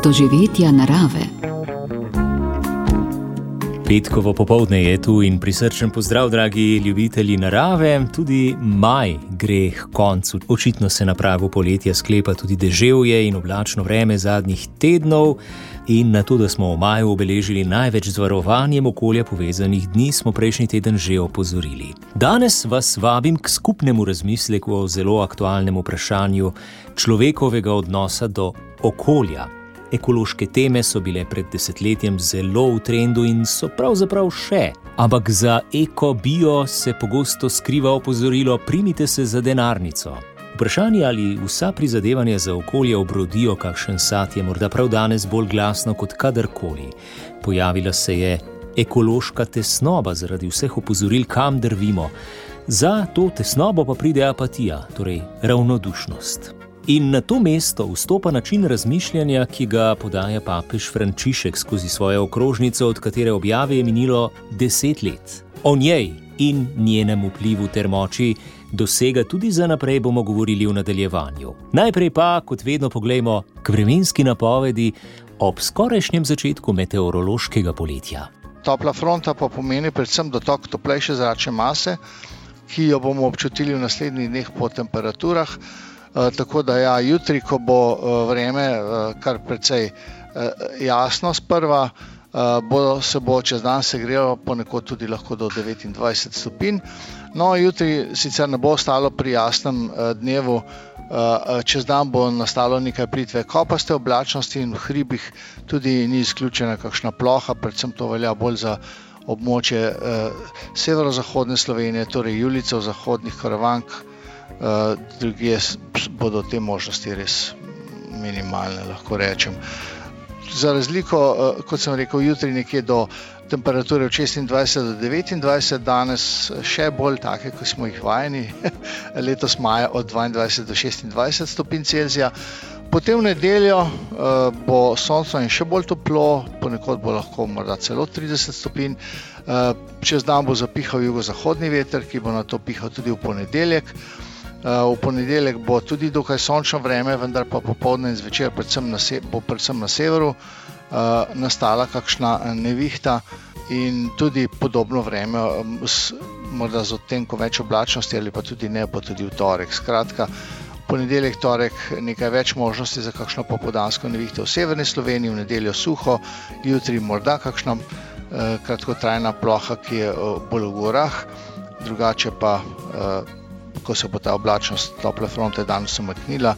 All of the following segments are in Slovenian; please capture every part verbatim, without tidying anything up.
doživetja narave. Petkovo popoldne je tu in prisrčen pozdrav, dragi ljubitelji narave. Tudi maj gre k koncu. Očitno se na pragu poletja sklepa tudi deževje in oblačno vreme zadnjih tednov. In na to, da smo v maju obeležili največ z varovanjem okolja povezanih dni, smo prejšnji teden že opozorili. Danes vas vabim k skupnemu razmisleku o zelo aktualnem vprašanju človekovega odnosa do okolja. Ekološke teme so bile pred desetletjem zelo v trendu in so pravzaprav še. Ampak za eko-bio se pogosto skriva opozorilo: primite se za denarnico. Vprašanje, ali vsa prizadevanja za okolje obrodijo kakšen sad, je morda prav danes bolj glasno kot kadarkoli. Pojavila se je ekološka tesnoba zaradi vseh opozoril, kam drvimo. Za to tesnobo pa pride apatija, torej ravnodušnost. In na to mesto vstopa način razmišljanja, ki ga podaja papež Frančišek skozi svojo okrožnico, od katere objave je minilo deset let. O njej in njenem vplivu ter moči dosega tudi za naprej bomo govorili v nadaljevanju. Najprej pa, kot vedno, poglejmo k vremenski napovedi ob skorajšnjem začetku meteorološkega poletja. Topla fronta pa pomeni predvsem dotok toplejše zračne mase, ki jo bomo občutili v naslednjih dneh po temperaturah. Uh, tako da ja, jutri, ko bo uh, vreme uh, kar precej uh, jasno sprva, uh, bo, se bo čez dan segrelo ponekod tudi lahko do devetindvajset stopinj. No, jutri sicer ne bo ostalo pri jasnem uh, dnevu, uh, čez dan bo nastalo nekaj plitve kopaste oblačnosti in v hribih tudi ni izključena kakšna ploha, predvsem to velja bolj za območje uh, severozahodne Slovenije, torej Julijcev, zahodnih Karavank. Uh, drugje bodo te možnosti res minimalne, lahko rečem. Za razliko, uh, kot sem rekel, jutri nekje do temperature od šestindvajset do devetindvajset, danes še bolj take, kot smo jih vajeni, letos maja od dvaindvajset do šestindvajset stopinj Celzija. Potem v nedeljo uh, bo sončno in še bolj toplo, ponekod bo lahko morda celo trideset stopinj. Uh, čez dan bo zapihal jugozahodni veter, ki bo nato pihal tudi v ponedeljek. V ponedeljek bo tudi dokaj sončno vreme, vendar pa popoldne in zvečer predvsem na se, bo predvsem na severu uh, nastala kakšna nevihta in tudi podobno vreme, s, morda z odtenkom več oblačnosti ali pa tudi ne, bo tudi v torek. Skratka, v ponedeljek, torek nekaj več možnosti za kakšno popoldansko nevihto v severni Sloveniji, v nedeljo suho, jutri morda kakšna uh, kratkotrajna ploha, ki je uh, bolj v gorah, drugače pa uh, ko se bo ta oblačnost tople fronte danes umaknila,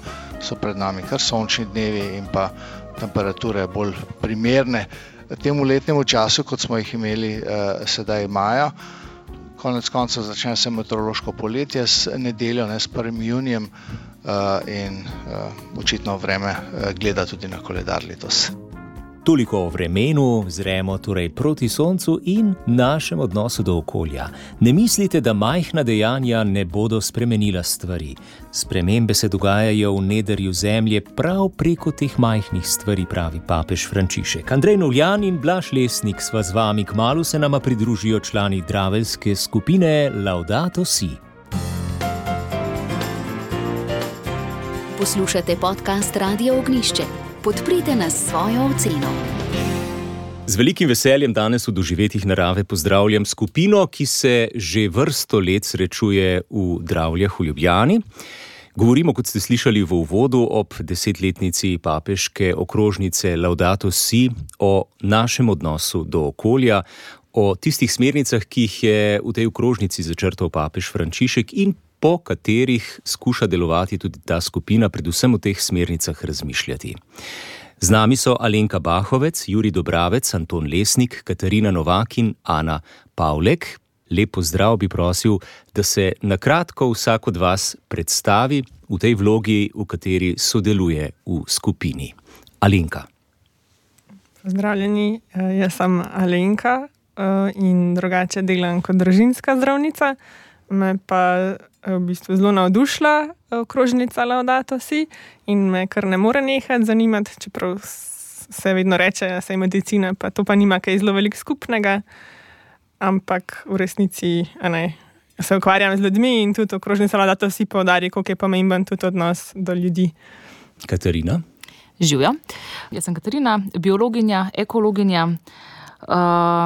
so pred nami kar sončni dnevi in pa temperature bolj primerne temu letnemu času, kot smo jih imeli eh, sedaj maja. Konec koncev začne se meteorološko poletje s nedeljo, ne s prvim junijem eh, in eh, očitno vreme eh, gleda tudi na koledar letos. Toliko o vremenu, zremo torej proti soncu in našem odnosu do okolja. Ne mislite, da majhna dejanja ne bodo spremenila stvari. Spremembe se dogajajo v nedrju zemlje prav preko teh majhnih stvari, pravi papež Frančišek. Andrej Novljan in Blaž Lesnik sva z vami, kmalu se nama pridružijo člani draveljske skupine Laudato Si. Poslušate podcast Radia Ognjišče. Podprite nas s svojo oceno. Z velikim veseljem danes v doživetjih narave pozdravljam skupino, ki se že vrsto let srečuje v Dravljah v Ljubljani. Govorimo, kot ste slišali v uvodu, ob desetletnici papeške okrožnice Laudato Si, o našem odnosu do okolja, o tistih smernicah, ki jih je v tej okrožnici začrtal papež Frančišek in po katerih skuša delovati tudi ta skupina, predvsem v teh smernicah razmišljati. Z nami so Alenka Bahovec, Jurij Dobravec, Anton Lesnik, Katarina Novak in Ana Pavlek. Lep pozdrav, bi prosil, da se na kratko vsak od vas predstavi v tej vlogi, v kateri sodeluje v skupini. Alenka. Pozdravljeni, jaz sem Alenka in drugače delam kot družinska zdravnica. Me pa v bistvu zelo navdušila okrožnica Laudato Si in me kar ne more nehati zanimati, čeprav se vedno reče, da se je medicina, pa to pa nima kaj zelo veliko skupnega, ampak v resnici ne, se ukvarjam z ljudmi in tudi okrožnica Laudato Si poudarja, koliko je pomemben tudi odnos do ljudi. Katarina? Živjo. Jaz sem Katarina, biologinja, ekologinja,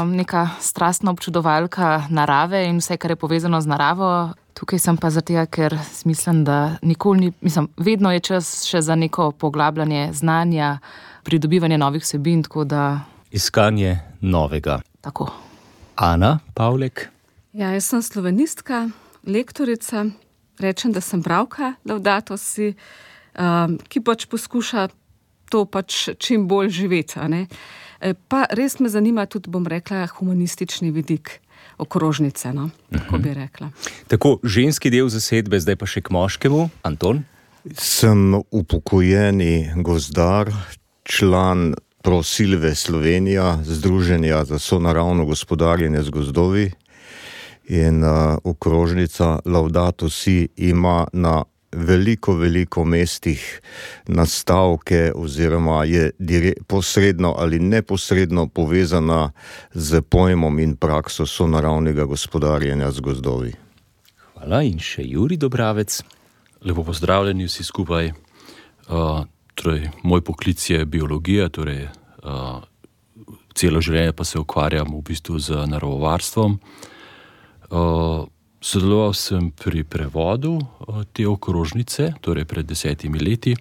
neka strastna občudovalka narave in vse, kar je povezano z naravo. Tukaj sem pa zato, ker mislim, da nikoli ni, mislim, vedno je čas še za neko poglabljanje znanja, pridobivanje novih vsebin, tako da... Iskanje novega. Tako. Ana Pavlek? Ja, jaz sem slovenistka, lektorica, rečem, da sem bralka Laudato si, um, ki pač poskuša to pač čim bolj živeti, a ne? Pa res me zanima tudi, bom rekla, humanistični vidik okrožnice, no, tako bi rekla. Tako, ženski del zasedbe, zdaj pa še k moškemu. Anton? Sem upokojeni gozdar, član Prosilve Slovenija, Združenja za sonaravno gospodarjenje z gozdovi in uh, okrožnica Laudato si ima na veliko, veliko mestih nastavke oziroma je dire- posredno ali neposredno povezana z pojmom in prakso sonaravnega gospodarjenja z gozdovi. Hvala in še Jurij Dobravec. Lepo pozdravljeni vsi skupaj. Uh, torej, moj poklic je biologija, torej uh, celo življenje pa se ukvarjam v bistvu z naravovarstvom. Uh, Sodeloval sem pri prevodu te okrožnice, torej pred desetimi leti,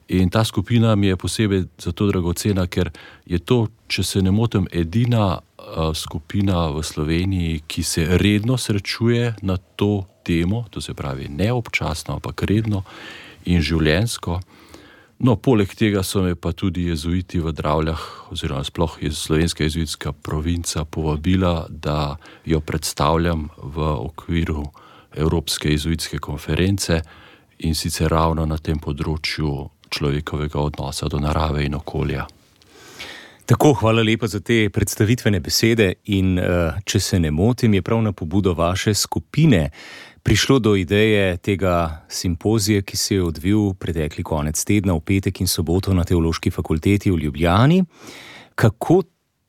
in ta skupina mi je posebej zato dragocena, ker je to, če se ne motim, edina skupina v Sloveniji, ki se redno srečuje na to temo, to se pravi ne občasno, ampak redno in življenjsko. No, poleg tega so me pa tudi jezuiti v Dravljah, oziroma sploh je slovenska jezuitska provinca povabila, da jo predstavljam v okviru Evropske jezuitske konference in sicer ravno na tem področju človekovega odnosa do narave in okolja. Tako, hvala lepa za te predstavitvene besede in če se ne motim, je prav na pobudo vaše skupine prišlo do ideje tega simpozija, ki se je odvil pretekli konec tedna v petek in soboto na Teološki fakulteti v Ljubljani. Kako,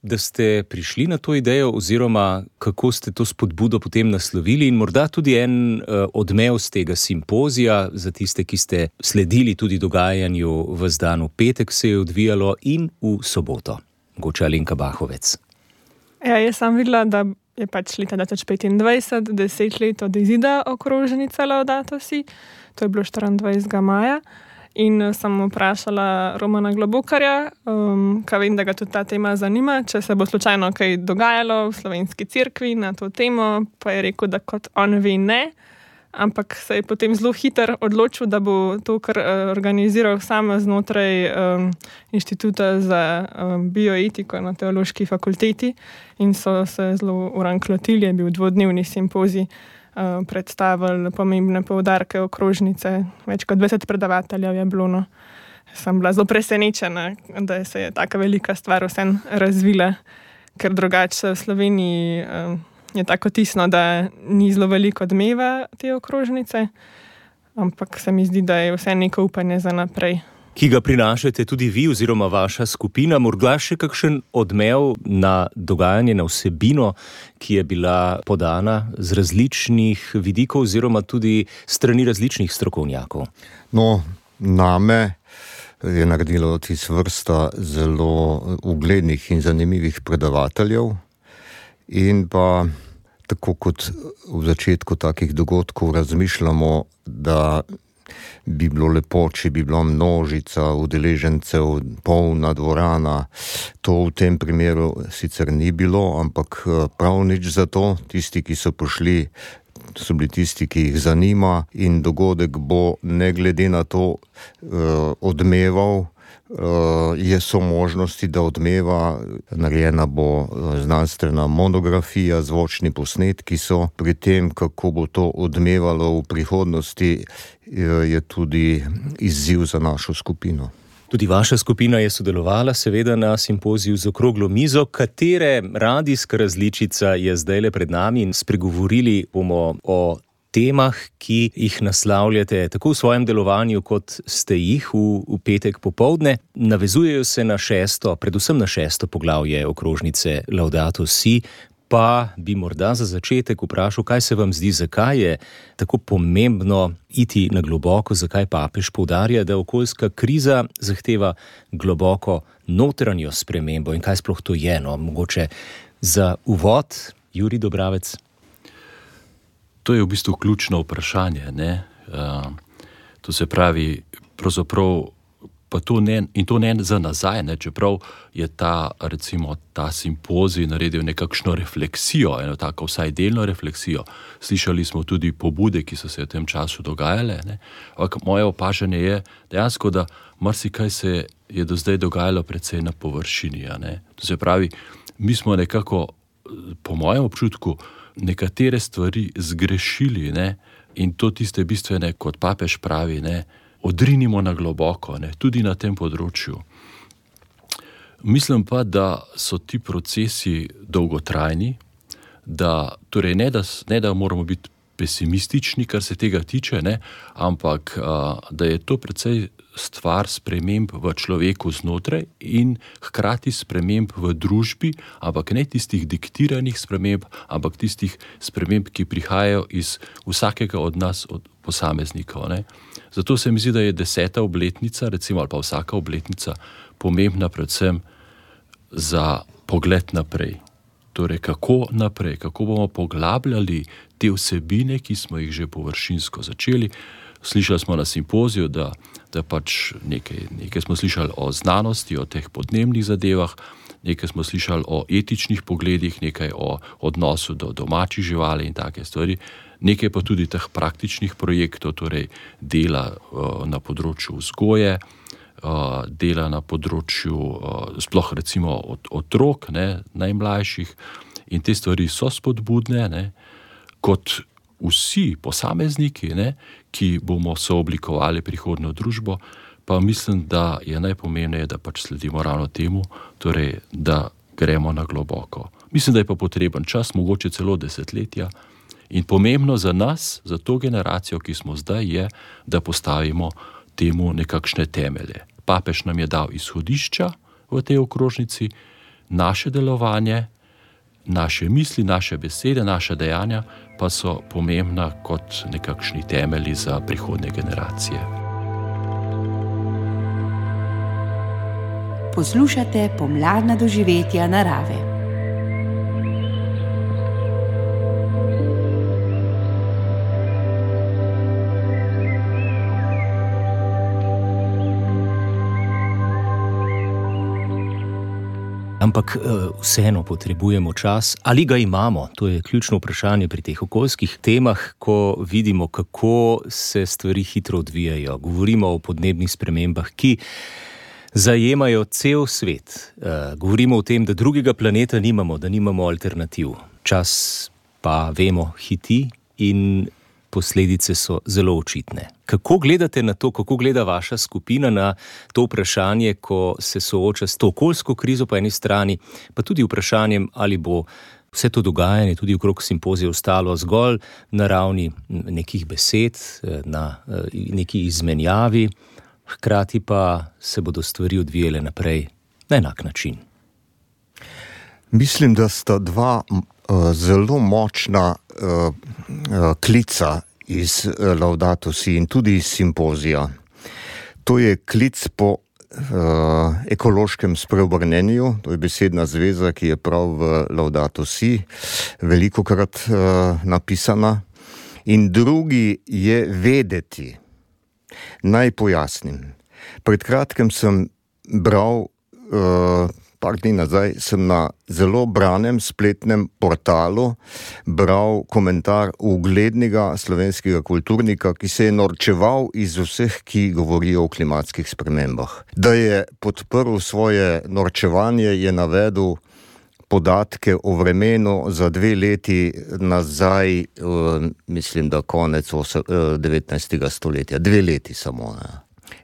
da ste prišli na to idejo oziroma kako ste to spodbudo potem naslovili in morda tudi en uh, odmev z tega simpozija za tiste, ki ste sledili tudi dogajanju v zdan v petek se je odvijalo in v soboto. Mogoče Alenka Bahovec. Ja, jaz sem videla, da je pač leta dva tisoč petindvajset, deset let od izida okrožnice Laudato si, to je bilo štiriindvajsetega maja, in sem vprašala Romana Globokarja, um, kaj vem, da ga tudi ta tema zanima, če se bo slučajno kaj dogajalo v slovenski cerkvi na to temo, pa je rekel, da kot on ve ne, ampak se je potem zelo hitro odločil, da bo to kar uh, organiziral sam znotraj um, Inštituta za um, bioetiko na Teološki fakulteti in so se zelo uranklotili, je bil dvodnevni simpozij, uh, predstavili pomembne poudarke okrožnice, več kot dvajset predavateljev je bilo. No. Sem bila zelo presenečena, da se je taka velika stvar vsem razvila, ker drugače v Sloveniji um, je tako tisno, da ni zelo veliko odmeva te okrožnice, ampak se mi zdi, da je vse neko upanje za naprej. Ki ga prinašate tudi vi oziroma vaša skupina, morda še kakšen odmev na dogajanje, na vsebino, ki je bila podana z različnih vidikov oziroma tudi strani različnih strokovnjakov? No, name je naredilo tis vrsta zelo uglednih in zanimivih predavateljev. In pa tako kot v začetku takih dogodkov razmišljamo, da bi bilo lepo, če bi bila množica udeležencev, polna dvorana. To v tem primeru sicer ni bilo, ampak prav nič za to. Tisti, ki so prišli, so bili tisti, ki jih zanima in dogodek bo ne glede na to uh, odmeval. Uh, je so možnosti, da odmeva, narejena bo znanstvena monografija, zvočni posnetki so. Pri tem, kako bo to odmevalo v prihodnosti, je tudi izziv za našo skupino. Tudi vaša skupina je sodelovala seveda na simpoziju z okroglo mizo, katere radijska različica je zdajle pred nami in spregovorili bomo o temah, ki jih naslavljate tako v svojem delovanju, kot ste jih v, v petek popoldne. Navezujejo se na šesto, predvsem na šesto poglavje okrožnice Laudato si, pa bi morda za začetek vprašal, kaj se vam zdi, zakaj je tako pomembno iti na globoko, zakaj papež poudarja, da okoljska kriza zahteva globoko notranjo spremembo in kaj sploh to je, no, mogoče za uvod, Jurij Dobravec. To je v bistvu ključno vprašanje, ne? Uh, to se pravi, pravzaprav, pa to ne, in to ne za nazaj, ne? Čeprav je ta, recimo, ta simpozij naredil nekakšno refleksijo, eno tako vsaj delno refleksijo. Slišali smo tudi pobude, ki so se v tem času dogajale, ne? Ampak moje opažanje je dejansko, da marsikaj se je do zdaj dogajalo precej na površini, ne? To se pravi, mi smo nekako, po mojem občutku, nekatere stvari zgrešili, ne? In to tiste bistvene, kot papež pravi, ne? Odrinimo na globoko, ne? Tudi na tem področju. Mislim pa, da so ti procesi dolgotrajni, da, torej ne, da, ne, da moramo biti pesimistični, kar se tega tiče, ne? Ampak a, da je to precej stvar sprememb v človeku znotraj in hkrati sprememb v družbi, ampak ne tistih diktiranih sprememb, ampak tistih sprememb, ki prihajajo iz vsakega od nas, od posameznikov, ne? Zato se mi zdi, da je deseta obletnica, recimo, ali pa vsaka obletnica, pomembna predvsem za pogled naprej. Torej, kako naprej, kako bomo poglabljali te vsebine, ki smo jih že površinsko začeli. Slišali smo na simpoziju, da, da pač nekaj, nekaj smo slišali o znanosti, o teh podnebnih zadevah, nekaj smo slišali o etičnih pogledih, nekaj o odnosu do domačih živali in take stvari, nekaj pa tudi teh praktičnih projektov, torej dela uh, na področju vzgoje, uh, dela na področju uh, sploh recimo od, otrok, ne, najmlajših, in te stvari so spodbudne, ne, kot vsi posamezniki, ne, ki bomo sooblikovali prihodnjo družbo, pa mislim, da je najpomembneje, da pač sledimo ravno temu, torej, da gremo na globoko. Mislim, da je pa potreben čas, mogoče celo desetletja, in pomembno za nas, za to generacijo, ki smo zdaj, je, da postavimo temu nekakšne temelje. Papež nam je dal izhodišča v tej okrožnici, naše delovanje, naše misli, naše besede, naše dejanja pa so pomembna kot nekakšni temelji za prihodnje generacije. Poslušate pomladna doživetja narave. Ampak vseeno potrebujemo čas, ali ga imamo? To je ključno vprašanje pri teh okoljskih temah, ko vidimo, kako se stvari hitro odvijajo. Govorimo o podnebnih spremembah, ki zajemajo cel svet. Govorimo o tem, da drugega planeta nimamo, da nimamo alternativ. Čas pa, vemo, hiti in posledice so zelo očitne. Kako gledate na to, kako gleda vaša skupina na to vprašanje, ko se sooča s to okoljsko krizo po eni strani, pa tudi vprašanjem, ali bo vse to dogajanje tudi okrog simpozija ostalo zgolj na ravni nekih besed, na neki izmenjavi, hkrati pa se bodo stvari odvijale naprej na enak način. Mislim, da sta dva uh, zelo močna uh, uh, klica iz uh, Laudato Si in tudi iz simpozija. To je klic po uh, ekološkem spreobrnenju, to je besedna zveza, ki je prav v Laudato Si velikokrat uh, napisana. In drugi je vedeti. Naj pojasnim. Pred kratkem sem bral uh, par dni nazaj sem na zelo branem spletnem portalu bral komentar uglednega slovenskega kulturnika, ki se je norčeval iz vseh, ki govorijo o klimatskih spremembah. Da je podprl svoje norčevanje, je navedel podatke o vremenu za dve leti nazaj, uh, mislim, da konec devetnajstega stoletja. Dve leti samo, ne.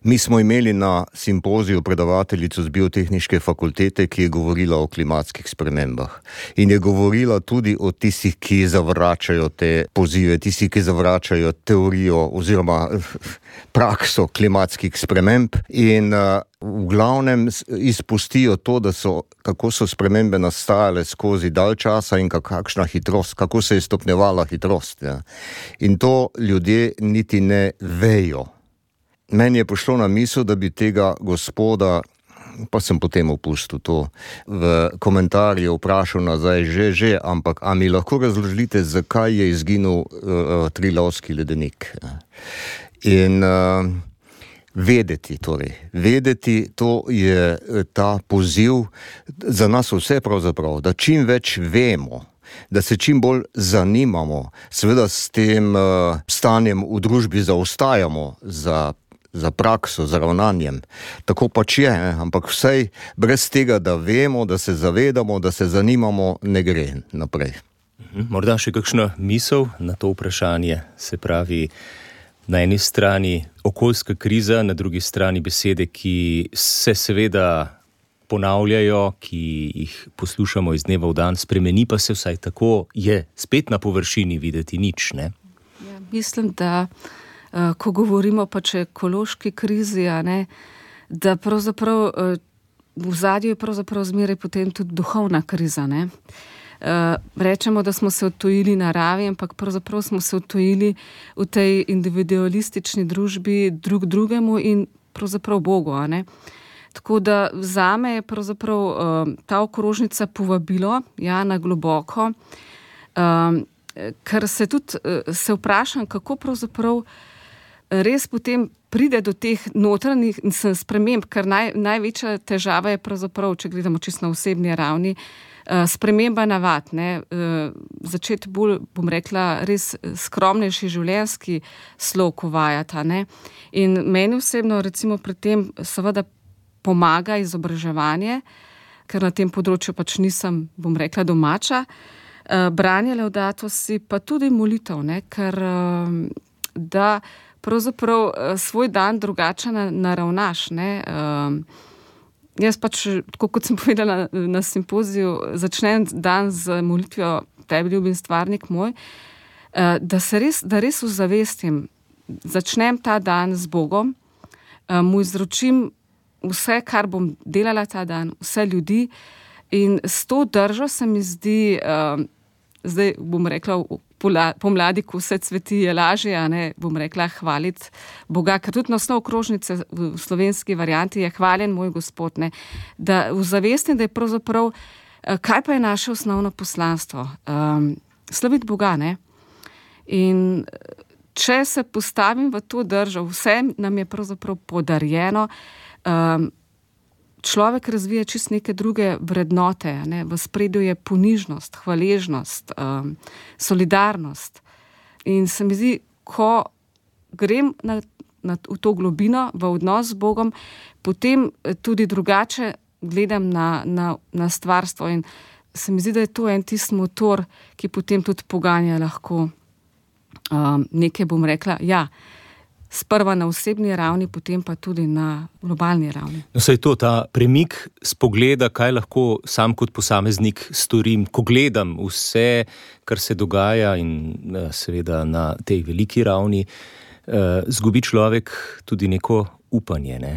Mi smo imeli na simpoziju predavateljico z biotehniške fakultete, ki je govorila o klimatskih spremembah. In je govorila tudi o tistih, ki zavračajo te pozive, tistih, ki zavračajo teorijo oziroma prakso klimatskih sprememb in uh, v glavnem izpustijo to, da so, kako so spremembe nastajale skozi dalj časa in kakšna hitrost, kako se je stopnjevala hitrost. Ja. In to ljudje niti ne vejo. Meni je prišlo na misel, da bi tega gospoda, pa sem potem opustil to, v komentarju vprašal nazaj, že, že, ampak a mi lahko razložite, zakaj je izginil uh, Trilavski ledenik? In uh, vedeti, torej, vedeti, to je ta poziv za nas vse pravzaprav, da čim več vemo, da se čim bolj zanimamo, seveda s tem uh, stanjem v družbi zaostajamo za za prakso, za ravnanjem. Tako pač je, ampak vsej brez tega, da vemo, da se zavedamo, da se zanimamo, ne gre naprej. Morda še kakšna misel na to vprašanje, se pravi, na eni strani okoljska kriza, na drugi strani besede, ki se seveda ponavljajo, ki jih poslušamo iz dneva v dan, spremeni pa se vsaj tako, je spet na površini videti nič, ne? Ja, mislim, da ko govorimo pač o ekološki krizi, a ne, da pravzaprav v zadju je pravzaprav zmeraj potem tudi duhovna kriza, ne. Rečemo, da smo se odtujili naravi, ampak pravzaprav smo se odtujili v tej individualistični družbi drug drugemu in pravzaprav Bogu, a ne. Tako da zame je pravzaprav ta okrožnica povabilo, ja, na globoko, ker se tudi se vprašam, kako pravzaprav res potem pride do teh notranjih sprememb, ker naj, največja težava je pravzaprav, če gledamo čisto na osebni ravni, sprememba navad, ne, začeti bolj, bom rekla, res skromnejši življenjski slog uvajati, ne. In meni osebno recimo pri tem seveda pomaga izobraževanje, ker na tem področju pač nisem, bom rekla, domača, branje Laudato si, pa tudi molitev, ne, ker da pravzaprav svoj dan drugače naravnaš, ne. Jaz pač, tako kot sem povedala na, na simpoziju, začnem dan z molitvijo Tebi ljubim stvarnik moj, da se res, da res uzavestim, začnem ta dan z Bogom, mu izročim vse, kar bom delala ta dan, vse ljudi in s to držo se mi zdi, zdaj bom rekla, pomladi, ko vse cveti, je lažje, a ne, bom rekla, hvaliti Boga, ker tudi naslov okrožnice v slovenski varianti je hvaljen moj Gospod, ne, da uzavestim, da je pravzaprav, kaj pa je naše osnovno poslanstvo? Um, slaviti Boga, ne? In če se postavim v to držo, vse nam je pravzaprav podarjeno, um, človek razvija čist neke druge vrednote, ne? V spredju je ponižnost, hvaležnost, um, solidarnost. In se mi zdi, ko grem na, na, v to globino, v odnos z Bogom, potem tudi drugače gledam na, na, na stvarstvo in se mi zdi, da je to en tisti motor, ki potem tudi poganja lahko um, nekaj, bom rekla, ja, sprva na osebni ravni, potem pa tudi na globalni ravni. No, saj to, ta premik spogleda, kaj lahko sam kot posameznik storim, ko gledam vse, kar se dogaja in seveda na tej veliki ravni, zgubi človek tudi neko upanje, ne?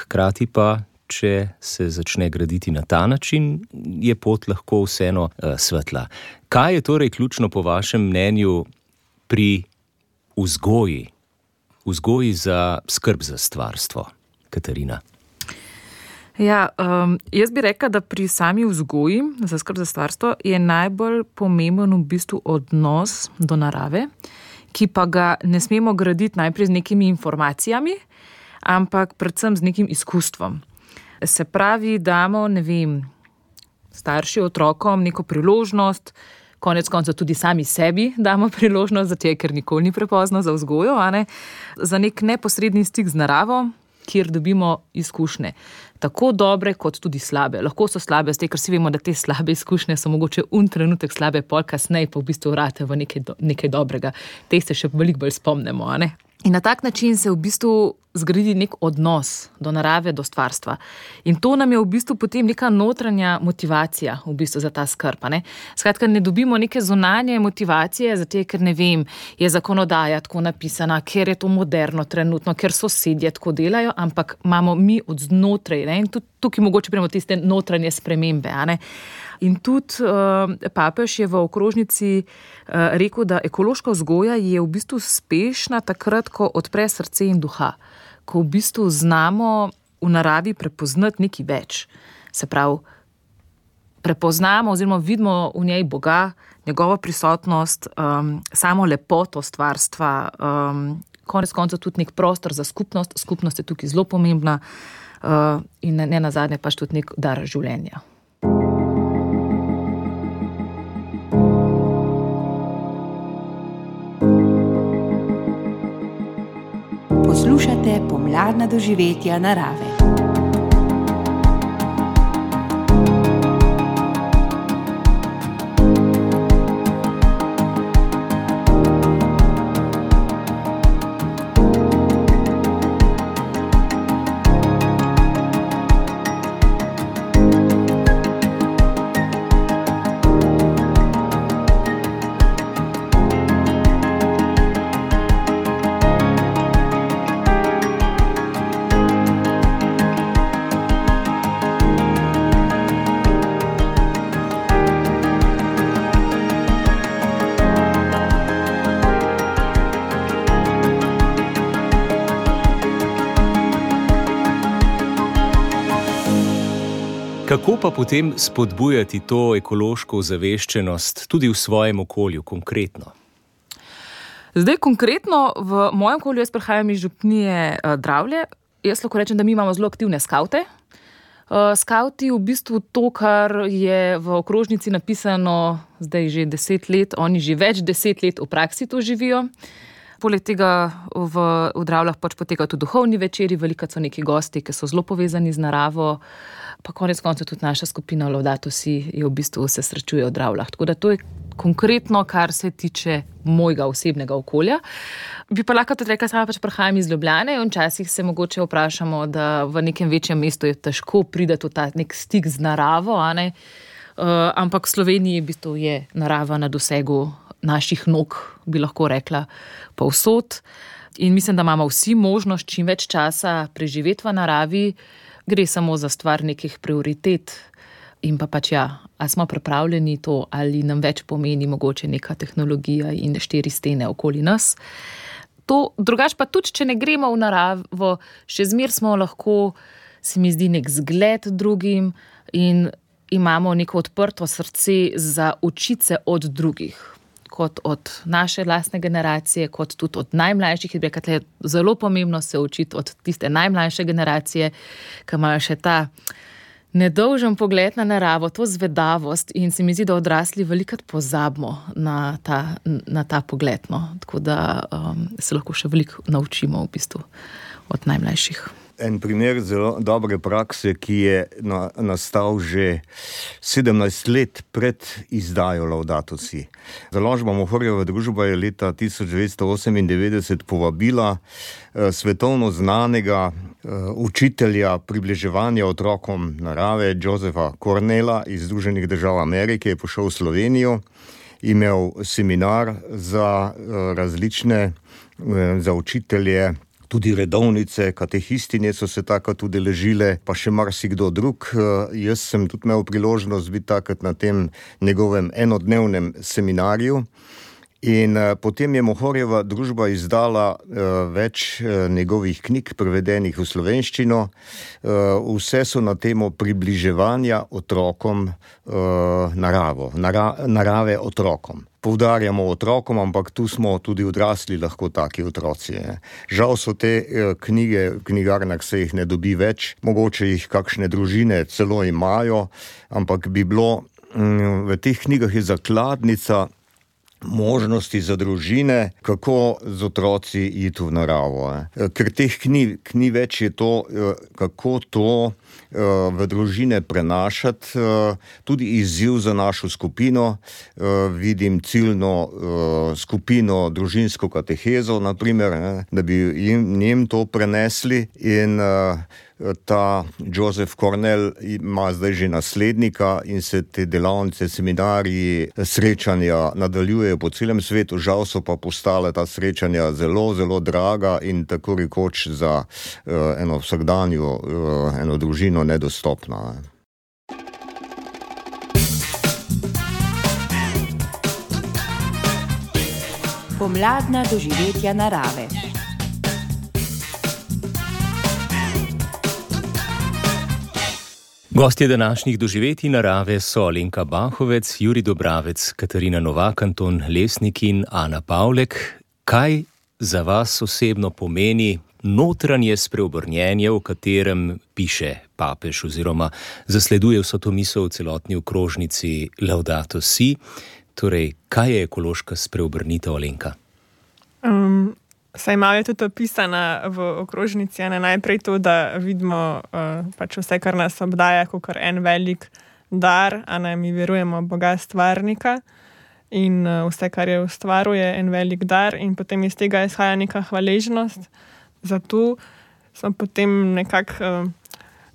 Hkrati pa, če se začne graditi na ta način, je pot lahko vseeno svetla. Kaj je torej ključno po vašem mnenju pri vzgoji? Vzgoji za skrb za stvarstvo, Katarina. Ja, um, jaz bi rekla, da pri sami vzgoji za skrb za stvarstvo je najbolj pomemben v bistvu odnos do narave, ki pa ga ne smemo graditi najprej z nekimi informacijami, ampak predvsem z nekim izkustvom. Se pravi, damo, ne vem, starši otrokom neko priložnost, konec konca tudi sami sebi damo priložnost, zato je, ker nikoli ni prepozno za vzgojo, a ne, za nek neposredni stik z naravo, kjer dobimo izkušnje. Tako dobre, kot tudi slabe. Lahko so slabe, zdaj, ker si vemo, da te slabe izkušnje so mogoče un trenutek slabe, pol kasneje pa v bistvu vrate v nekaj, do, nekaj dobrega. Te se še veliko bolj spomnimo, a ne. In na tak način se v bistvu zgraditi nek odnos do narave, do stvarstva. In to nam je v bistvu potem neka notranja motivacija v bistvu za ta skrb. Ne? Skratka, ne dobimo neke zunanje motivacije, zato ker ne vem, je zakonodaja tako napisana, ker je to moderno trenutno, ker sosedje tako delajo, ampak imamo mi od znotraj, ne? In tudi tukaj mogoče prejmo tiste notranje spremembe. A ne? In tudi uh, papež je v okrožnici uh, rekel, da ekološka vzgoja je v bistvu uspešna takrat, ko odpre srce in duha, ko v bistvu znamo v naravi prepoznati nekaj več. Se pravi, prepoznamo oziroma vidimo v njej Boga, njegovo prisotnost, um, samo lepoto stvarstva, um, konec konca tudi nek prostor za skupnost, skupnost je tukaj zelo pomembna uh, in ne, ne nazadnje pač tudi nek dar življenja. Poslušate pomladna doživetja narave. Kako pa potem spodbujati to ekološko ozaveščenost tudi v svojem okolju, konkretno? Zdaj, konkretno v mojem okolju, jaz prihajam iz župnije uh, Dravlje, jaz lahko rečem, da mi imamo zelo aktivne skavte. Uh, skavti v bistvu to, kar je v okrožnici napisano zdaj že deset let, oni že več deset let v praksi to živijo. Poleg tega v, v Dravljah pač potekajo tudi duhovni večeri, veliko so neki gosti, ki so zelo povezani z naravo, pa konec koncev tudi naša skupina Laudato Si je v bistvu se srečuje v Dravljah. Tako da to je konkretno, kar se tiče mojega osebnega okolja. Bi pa lahko tudi rekla, sama pač prihajam iz Ljubljane in včasih se mogoče vprašamo, da v nekem večjem mestu je težko priti v ta nek stik z naravo, a ne? Uh, ampak v Sloveniji v bistvu je narava na dosegu naših nog, bi lahko rekla, povsod. In mislim, da imamo vsi možnost čim več časa preživeti v naravi, gre samo za stvar nekih prioritet in pa pač ja, a smo pripravljeni to, ali nam več pomeni mogoče neka tehnologija in štiri stene okoli nas. To, drugače pa tudi, če ne gremo v naravo, še zmer smo lahko, se mi zdi, nek zgled drugim in imamo neko odprto srce za učiti se od drugih, kot od naše lastne generacije, kot tudi od najmlajših. Je zelo pomembno se učiti od tiste najmlajše generacije, ki imajo še ta nedolžen pogled na naravo, to zvedavost in se mi zdi, da odrasli velikokrat pozabimo na ta, na ta pogled. No. Tako da um, se lahko še veliko naučimo v bistvu od najmlajših. En primer zelo dobre prakse, ki je na, nastal že sedemnajst let pred izdajo Laudato Si. Založba Mohorjeva družba je leta tisoč devetsto osemindevetdeset povabila eh, svetovno znanega eh, učitelja približevanja otrokom narave Josepha Cornella iz Združenih držav Amerike, je prišel v Slovenijo, imel seminar za eh, različne, eh, za učitelje, tudi redovnice, katehistinje so se takrat udeležile, pa še marsikdo drug. Jaz sem tudi imel priložnost biti takrat na tem njegovem enodnevnem seminarju. In potem je Mohorjeva družba izdala uh, več uh, njegovih knjig, prevedenih v slovenščino. Uh, vse so na temo približevanja otrokom uh, naravo, nara, narave otrokom. Poudarjamo otrokom, ampak tu smo tudi odrasli lahko taki otroci. Ne. Žal so te uh, knjige, v knjigarnah se jih ne dobi več, mogoče jih kakšne družine celo imajo, ampak bi bilo, um, v teh knjigah je zakladnica možnosti za družine, kako z otroci iti v naravo. Ker teh knjig ni več, je to, kako to v družine prenašati, tudi izziv za našo skupino. Vidim ciljno skupino družinsko katehezo, naprimer, da bi jim, njim to prenesli in ta Joseph Cornell ima zdaj že naslednika in se te delavnice, seminariji, srečanja nadaljujejo po celem svetu. Žal so pa postale ta srečanja zelo, zelo draga in tako rekoč za uh, eno vsakdanjo, uh, eno družino nedostopna. Pomladna doživetja narave. Gostje današnjih doživetij narave so Alenka Bahovec, Jurij Dobravec, Katarina Novak, Anton Lesnik in Ana Pavlek. Kaj za vas osebno pomeni notranje spreobrnjenje, v katerem piše papež oziroma zasleduje vso to misel v celotni okrožnici Laudato Si? Torej, kaj je ekološka spreobrnitev, Alenka? Um, saj malo je tudi opisana v okrožnici, ne najprej to, da vidimo uh, pač vse, kar nas obdaja, kot en velik dar, a ne mi verujemo v Boga stvarnika in uh, vse, kar je ustvaruje, en velik dar in potem iz tega izhaja neka hvaležnost. Zato smo potem nekako uh,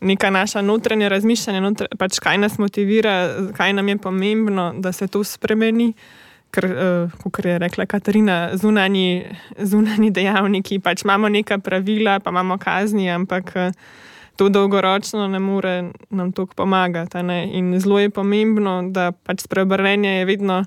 neka naša notranja razmišljanja, notr, pač kaj nas motivira, kaj nam je pomembno, da se to spremeni. Ker, uh, kot je rekla Katarina, zunanji, zunanji dejavniki, pač imamo neka pravila, pa imamo kazni, ampak uh, to dolgoročno ne more nam toliko pomagati. Ne? In zelo je pomembno, da pač spreobrnenje je vedno,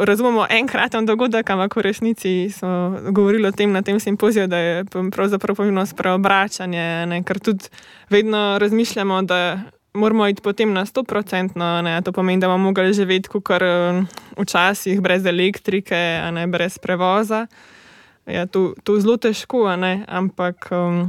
razumemo, enkraten dogodek, ampak v resnici smo govorili o tem na tem simpoziju, da je pravzaprav pomembno spreobračanje, ne? Ker tudi vedno razmišljamo, da moramo iti potem na sto procentno, ne, to pomeni, da bomo mogli živeti kakor včasih brez elektrike, a ne, brez prevoza. Ja, to, to zelo težko, a ne, ampak um,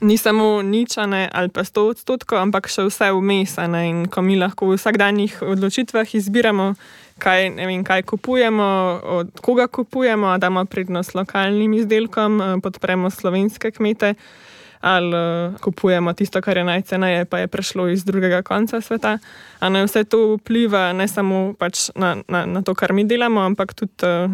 ni samo nič, a ne, ali pa sto odstotkov, ampak še vse vmes, a ne, in ko mi lahko v vsakdanjih odločitvah izbiramo, kaj, ne vem, kaj kupujemo, od koga kupujemo, damo prednost lokalnim izdelkom, podpremo slovenske kmete, ali uh, kupujemo tisto, kar je najceneje, pa je prišlo iz drugega konca sveta. A ne, vse to vpliva ne samo pač na, na, na to, kar mi delamo, ampak tudi uh,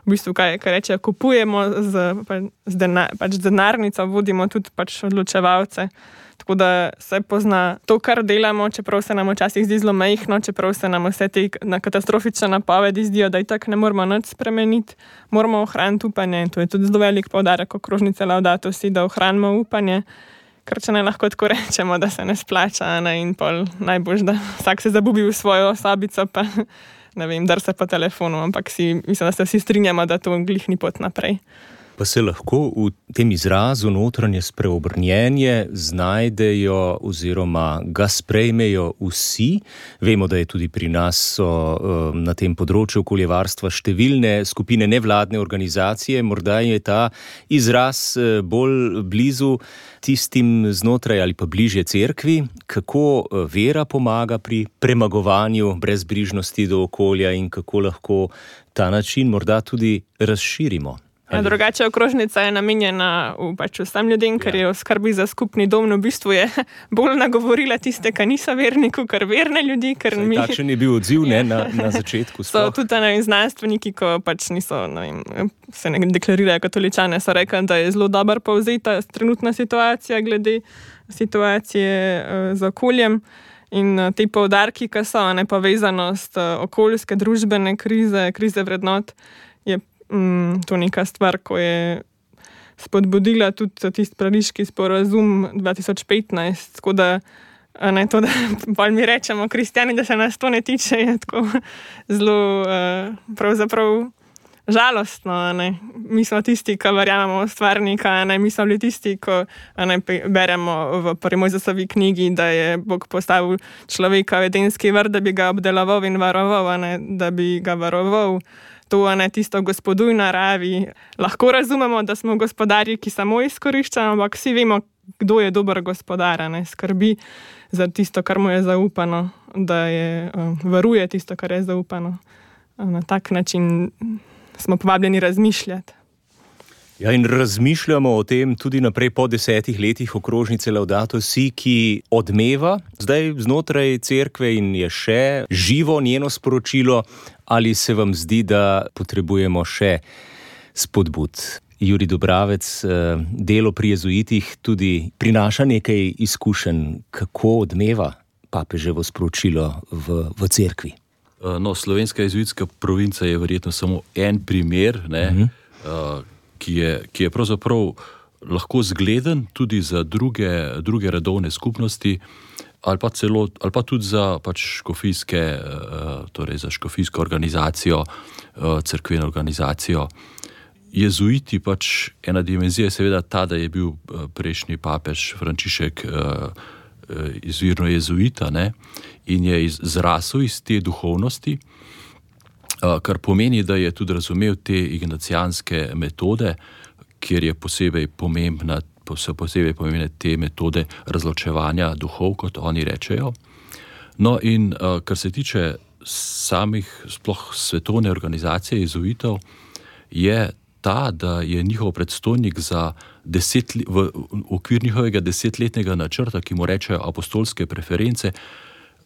v bistvu, kaj, kaj reče, kupujemo z, pa, z, denar, pač z denarnico, vodimo tudi pač odločevalce. Tako da se pozna to, kar delamo, čeprav se nam včasih zdi zelo majhno, čeprav se nam vse te katastrofične napovedi zdijo, da itak ne moramo nič spremeniti, moramo ohraniti upanje. In to je tudi zelo velik poudarek okrožnice Laudato Si, da ohranimo upanje, ker če ne lahko tako rečemo, da se ne splača, ne, in pol najbolj, da vsak se zabubi v svojo sobico, pa ne vem, dar se po telefonu, ampak si, mislim, da se vsi strinjamo, da to glih ni pot naprej. Pa se lahko v tem izrazu notranje spreobrnjenje znajdejo oziroma ga sprejmejo vsi. Vemo, da je tudi pri nas so, na tem področju okoljevarstva številne skupine nevladne organizacije. Morda je ta izraz bolj blizu tistim znotraj ali pa bližje cerkvi. Kako vera pomaga pri premagovanju brezbrižnosti do okolja in kako lahko ta način morda tudi razširimo? Ja, drugače okrožnica je namenjena v, pač vsem ljudem, ker je v skrbi za skupni dom, v bistvu je bolj nagovorila tiste, ki niso verniku, ker verne ljudi. Ker mi... Takšen je bil odziv, ne, na, na začetku. So tudi ne vem, znanstveniki, ko pač niso, ne vem, se ne deklarirajo katoličane, so rekli, da je zelo dobro povzeta trenutna situacija glede situacije uh, z okoljem. In uh, te poudarki, ki so nepovezanost uh, okoljske, družbene krize, krize vrednot, je Mm, to neka stvar, ko je spodbudila tudi tisti pariški sporazum dva tisoč petnajst, tako da ne to, da bolj mi rečemo kristjani, da se nas to ne tiče, je tako zelo uh, pravzaprav žalostno, ne. Mi smo tisti, ki verjamemo v stvarnika, ne. Mi smo bili tisti, ko ne, beremo v prvi Mojzesovi knjigi, da je Bog postavil človeka v edenski vrt, da bi ga obdeloval in varoval, ne, da bi ga varoval. To je tisto gospoduj naravi. Lahko razumemo, da smo gospodarji, ki samo izkoriščamo, ampak vsi vemo, kdo je dober gospodar, ne, skrbi za tisto, kar mu je zaupano, da je, uh, varuje tisto, kar je zaupano. na tak način smo povabljeni razmišljati. Ja, in razmišljamo o tem tudi naprej po desetih letih okrožnice Laudato Si, ki odmeva zdaj znotraj cerkve in je še živo njeno sporočilo, ali se vam zdi, da potrebujemo še spodbud? Jurij Dobravec, delo pri jezuitih tudi prinaša nekaj izkušenj, kako odmeva papeževo sporočilo v, v cerkvi. No, slovenska jezuitska provinca je verjetno samo en primer, ne, mm-hmm. uh, ki je, ki je pravzaprav lahko zgleden tudi za druge, druge redovne skupnosti ali pa, celo, ali pa tudi za pač škofijske, torej za škofijsko organizacijo, cerkveno organizacijo. Jezuiti pač, ena dimenzija je seveda ta, da je bil prejšnji papež Frančišek izvirno jezuita, ne, in je zrasel iz te duhovnosti, kar pomeni, da je tudi razumel te ignacijanske metode, kjer je posebej pomembna, posebej pomembne te metode razločevanja duhov, kot oni rečejo. No in kar se tiče samih sploh svetovne organizacije jezuitov, je ta, da je njihov predstojnik za deset, v okvir njihovega desetletnega načrta, ki mu rečejo apostolske preference,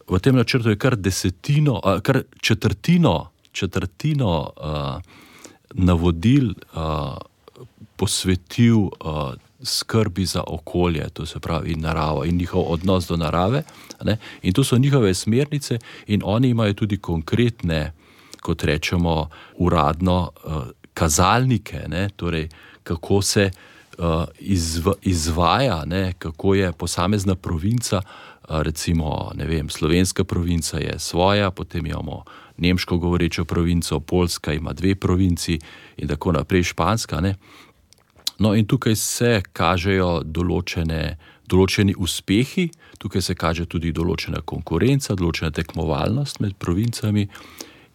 v tem načrtu je kar desetino, kar četrtino četrtino uh, navodil uh, posvetil uh, skrbi za okolje, to se pravi naravo in njihov odnos do narave, ne? In to so njihove smernice in oni imajo tudi konkretne, kot rečemo, uradno uh, kazalnike, ne? Torej, kako se uh, izv, izvaja, ne? Kako je posamezna provinca, uh, recimo, ne vem, slovenska provinca je svoja, potem imamo nemško govorečo provinco, Poljska ima dve provinci in tako naprej, španska, ne. No in tukaj se kažejo določene, določeni uspehi, tukaj se kaže tudi določena konkurenca, določena tekmovalnost med provincami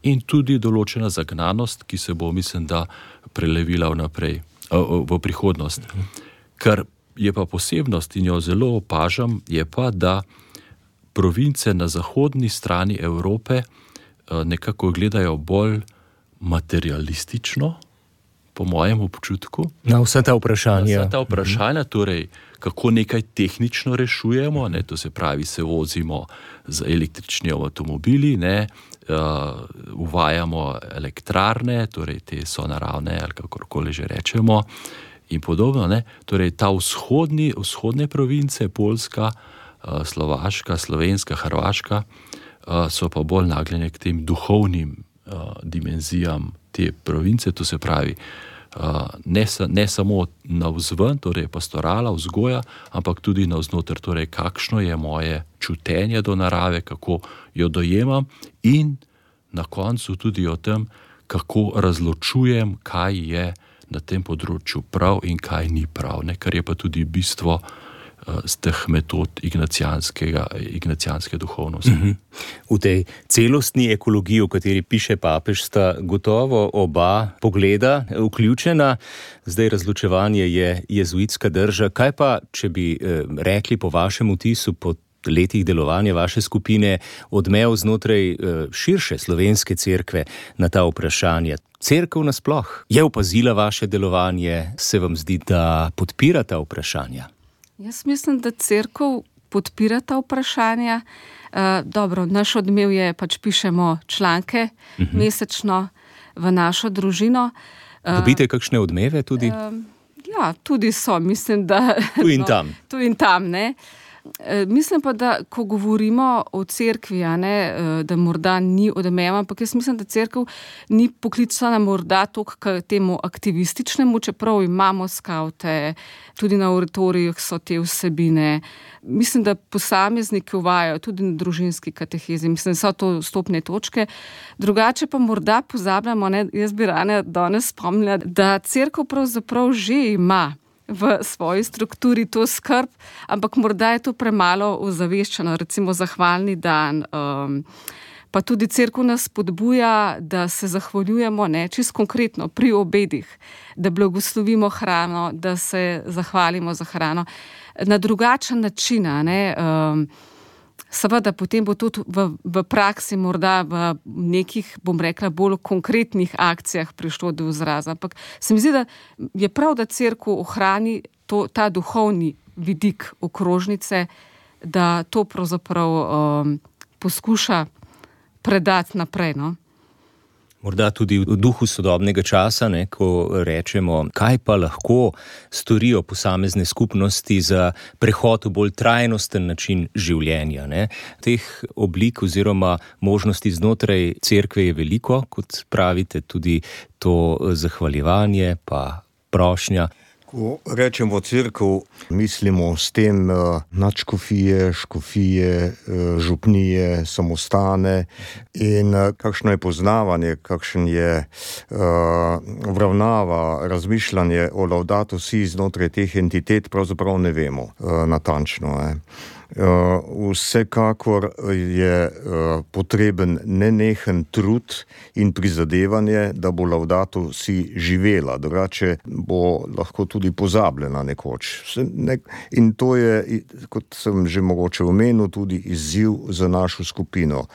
in tudi določena zagnanost, ki se bo, mislim, da prelevila vnaprej, v prihodnost. Kar je pa posebnost in jo zelo opažam, je pa, da province na zahodni strani Evrope nekako gledajo bolj materialistično, po mojem občutku. Na vsa ta vprašanja. Na vsa ta vprašanja, torej, kako nekaj tehnično rešujemo, ne, to se pravi, se vozimo z električnimi avtomobili, ne, uh, uvajamo elektrarne, torej te so naravne, ali kakorkoli že rečemo, in podobno, ne. Torej, ta vzhodni, vzhodne province, Poljska, uh, Slovaška, Slovenska, Hrvaška, so pa bolj nagnjene k tem duhovnim uh, dimenzijam te province, to se pravi uh, ne, sa, ne samo navzven, torej pastorala, vzgoja, ampak tudi navznoter, torej kakšno je moje čutenje do narave, kako jo dojemam in na koncu tudi o tem, kako razločujem, kaj je na tem področju prav in kaj ni prav, ne? Kar je pa tudi bistvo z teh metod ignacijanske duhovnosti. Mm-hmm. V tej celostni ekologiji, o kateri piše papež, sta gotovo oba pogleda vključena. Zdaj razločevanje je jezuitska drža. Kaj pa, če bi eh, rekli po vašem vtisu, po letih delovanja vaše skupine, odmev znotraj eh, širše slovenske cerkve na ta vprašanja? Cerkev nasploh je opazila vaše delovanje, se vam zdi, da podpira ta vprašanja? Jaz mislim, da cerkev podpira ta vprašanja. Uh, dobro, naš odmev je, pač pišemo članke uh-huh. mesečno v našo družino. Uh, Dobite kakšne odmeve tudi? Uh, ja, tudi so, mislim, da... Tu in tam. No, tu in tam, ne. Mislim pa, da ko govorimo o cerkvi, a ne, da morda ni odmeva, ampak jaz mislim, da cerkev ni poklicana morda toliko k temu aktivističnemu, čeprav imamo skavte, tudi na oratorijah so te vsebine. Mislim, da posamezniki uvajajo tudi na družinski katehezi, mislim, da so to stopne točke. Drugače pa morda pozabljamo, ne, jaz bi rada danes spomnila, da cerkev pravzaprav že ima v svoji strukturi to skrb, ampak morda je to premalo ozaveščeno, recimo zahvalni dan, um, pa tudi cerkev nas spodbuja, da se zahvaljujemo, ne, čisto konkretno pri obedih, da blagoslovimo hrano, da se zahvalimo za hrano na drugačen način, ne, um, Seveda, potem bo tudi v, v praksi morda v nekih, bom rekla, bolj konkretnih akcijah prišlo do izraza. Ampak se mi zdi, da je prav, da cerkev ohrani to, ta duhovni vidik okrožnice, da to pravzaprav um, poskuša predati naprej, no? Morda tudi v duhu sodobnega časa, ne, ko rečemo, kaj pa lahko storijo posamezne skupnosti za prehod v bolj trajnosten način življenja. Ne. Teh oblik oziroma možnosti znotraj cerkve je veliko, kot pravite, tudi to zahvaljevanje pa prošnja. Ko rečemo cerkev, mislimo s tem uh, nadškofije, škofije, uh, župnije, samostane in uh, kakšno je poznavanje, kakšen je uh, obravnava, razmišljanje o Laudato si znotraj teh entitet, pravzaprav ne vemo uh, natančno. Eh. Uh, vsekakor je uh, potreben nenehen trud in prizadevanje, da bo Laudato si živela, drugače bo lahko tudi pozabljena nekoč. In to je, kot sem že mogoče omenil, tudi izziv za našo skupino.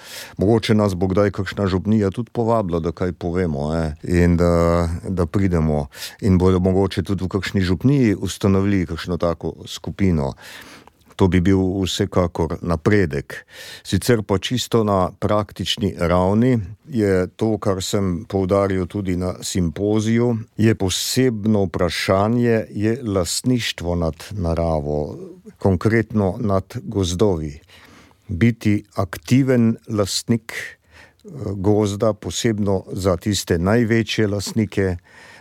Mogoče nas bo kdaj kakšna župnija tudi povabila, da kaj povemo, eh? In da, da pridemo in bodo mogoče tudi v kakšni župniji ustanovili kakšno tako skupino. To bi bil vsekakor napredek. Sicer pa čisto na praktični ravni je to, kar sem poudaril tudi na simpoziju, je posebno vprašanje, je lastništvo nad naravo, konkretno nad gozdovi. Biti aktiven lastnik gozda, posebno za tiste največje lastnike,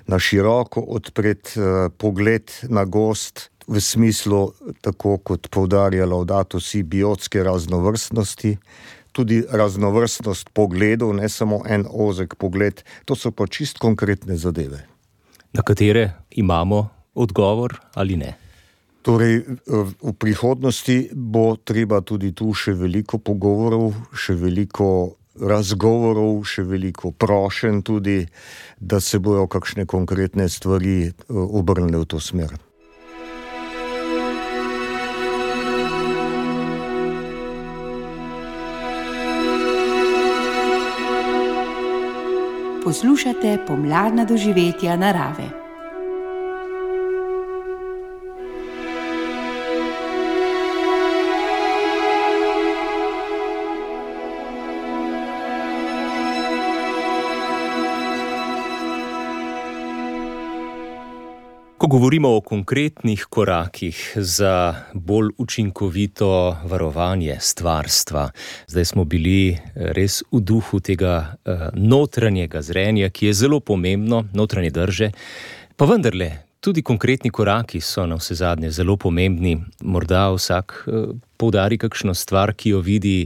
na široko odpret pogled na gozd, v smislu, tako kot poudarja Laudato si, biotske raznovrstnosti, tudi raznovrstnost pogledov, ne samo en ozek pogled, to so pa čist konkretne zadeve. Na katere imamo odgovor ali ne? Torej, v prihodnosti bo treba tudi tu še veliko pogovorov, še veliko razgovorov, še veliko prošenj tudi, da se bojo kakšne konkretne stvari obrnile v to smer. Poslušate pomladna doživetja narave. Ko govorimo o konkretnih korakih za bolj učinkovito varovanje stvarstva, zdaj smo bili res v duhu tega notranjega zrenja, ki je zelo pomembno, notranje drže, pa vendarle, tudi konkretni koraki so na vse zadnje zelo pomembni. Morda vsak poudari kakšno stvar, ki jo vidi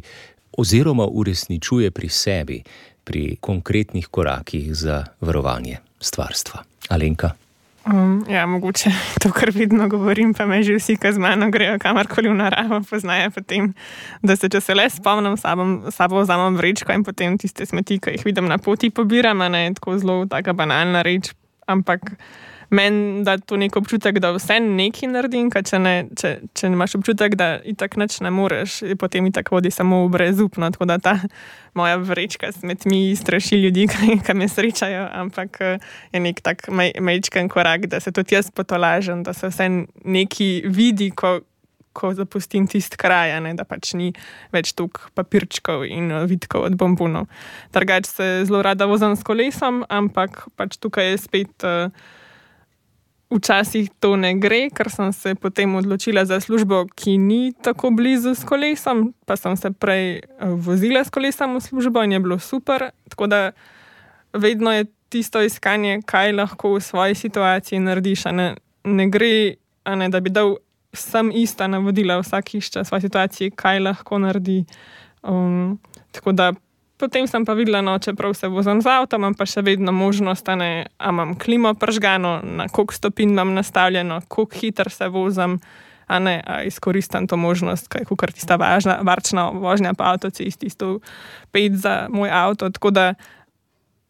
oziroma uresničuje pri sebi, pri konkretnih korakih za varovanje stvarstva. Alenka? Um, ja, mogoče to, kar vidno govorim, pa me že vsi, ki z mano grejo kamorkoli v naravo, poznajo potem, da se, če se le spomnim, sabo, sabo vzamem vrečko in potem tiste smeti, ki jih vidim na poti, pobiram, a ne tako zelo taka banalna reč, ampak meni da to nek občutek, da vse nekaj naredim, ker če ne, če, če nemaš občutek, da itak nič ne moreš, potem itak vodi samo v brezupno, tako da ta moja vrečka s smetmi straši ljudi, ki me srečajo, ampak je nek tak majčken korak, da se tudi jaz potolažem, da se vse nekaj vidi, ko, ko zapustim tist kraj, ne, da pač ni več toliko papirčkov in vitkov od bombonov. Drugače se zelo rada vozim s kolesom, ampak pač tukaj je spet včasih to ne gre, ker sem se potem odločila za službo, ki ni tako blizu s kolesom, pa sem se prej vozila s kolesom v službo in je bilo super, tako da vedno je tisto iskanje, kaj lahko v svoji situaciji narediš, a ne, ne gre, a ne, da bi dal vsem ista navodila, vsak išče v svoji situaciji, kaj lahko naredi. Um, tako da potem sem pa videla, no, čeprav se vozim z avtom, imam pa še vedno možnost, a ne, a imam klimo pržgano, na koliko stopinj imam nastavljeno, koliko hitro se vozim, a ne, a izkoristim to možnost, kaj kukar tista važna, varčna vožnja po avtocesti, tisto pet za moj avto, tako da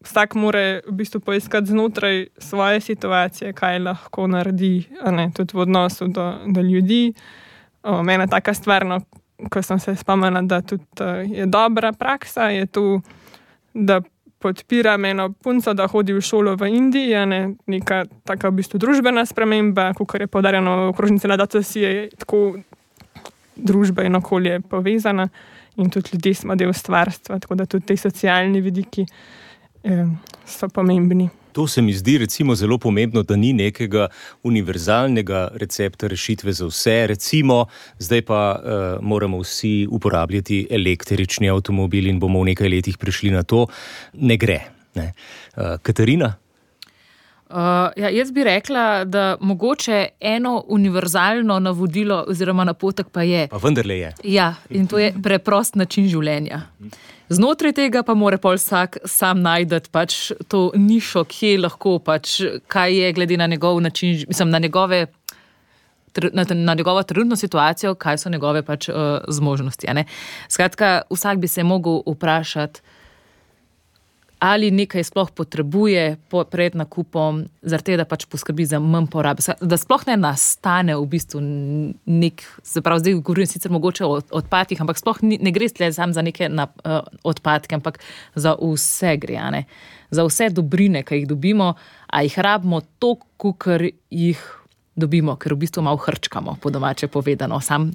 vsak more v bistvu poiskati znotraj svoje situacije, kaj lahko naredi, a ne, tudi v odnosu do, do ljudi. O, mena taka stvar, no, ko sem se spomnila, da tudi je dobra praksa, je tu, da podpiram eno punco, da hodi v šolo v Indiji, ne, neka taka v bistvu družbena sprememba, kakor je poudarjeno v okrožnici Laudato Si, je tako družba in okolje povezana in tudi ljudje smo del stvarstva, tako da tudi te socialni vidiki eh, so pomembni. To se mi zdi recimo zelo pomembno, da ni nekega univerzalnega recepta rešitve za vse. Recimo, zdaj pa uh, moramo vsi uporabljati električni avtomobil in bomo v nekaj letih prišli na to. Ne gre. Ne? Uh, Katarina? Uh, ja, jaz bi rekla, da mogoče eno univerzalno navodilo oziroma napotek pa je. Pa vendarle je. Ja, in to je preprost način življenja. Znotraj tega pa mora pol vsak sam najdeti pač to nišo, kje lahko pač, kaj je glede na njegov način, mislim, na njegove, na, na njegovo trenutno situacijo, kaj so njegove pač uh, zmožnosti. Ne? Skratka, vsak bi se mogel vprašati, ali nekaj sploh potrebuje pred nakupom, zaradi tega, da pač poskrbi za manj porabe. Da sploh ne nastane v bistvu nek, se pravi, zdaj govorim sicer mogoče o odpadkih, ampak sploh ni, ne gre samo za neke na, uh, odpadke, ampak za vse gre, ne? Za vse dobrine, ki jih dobimo, a jih rabimo toliko, kakor jih dobimo, ker v bistvu malo hrčkamo, po domače povedano. Sam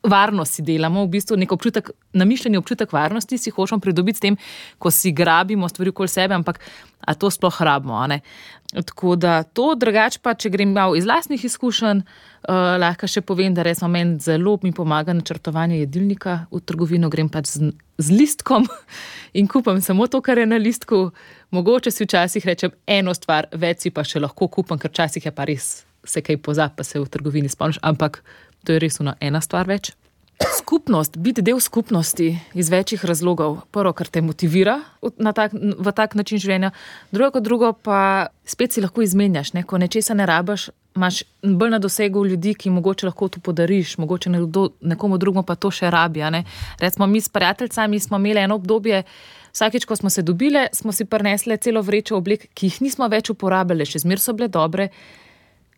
varnost si delamo, v bistvu nek občutek, namišljeni občutek varnosti si hočemo pridobiti s tem, ko si grabimo stvari okoli sebe, ampak a to sploh rabimo, a ne? Tako da to, drugače pa, če grem malo iz lastnih izkušenj, uh, lahko še povem, da recimo meni zelo mi pomaga načrtovanje jedilnika, v trgovino grem pač z, z listkom in kupam samo to, kar je na listku. Mogoče si včasih rečem eno stvar, več si pa še lahko kupam, ker včasih je pa res se kaj pozab, pa se v trgovini spomniš, ampak to je res ena stvar več. Skupnost, biti del skupnosti iz večjih razlogov. Prvo, kar te motivira na tak, v tak način življenja. Drugo kot drugo pa spet si lahko izmenjaš. Ne? Ko nečesa ne rabaš, imaš bolj na dosegu ljudi, ki mogoče lahko to podariš, mogoče nekdo, nekomu drugemu pa to še rabi. Ne? Recimo mi s prijateljicami smo imeli eno obdobje, vsakič, ko smo se dobile, smo si prinesle celo vrečo oblek, ki jih nismo več uporabljali, še zmer so bile dobre,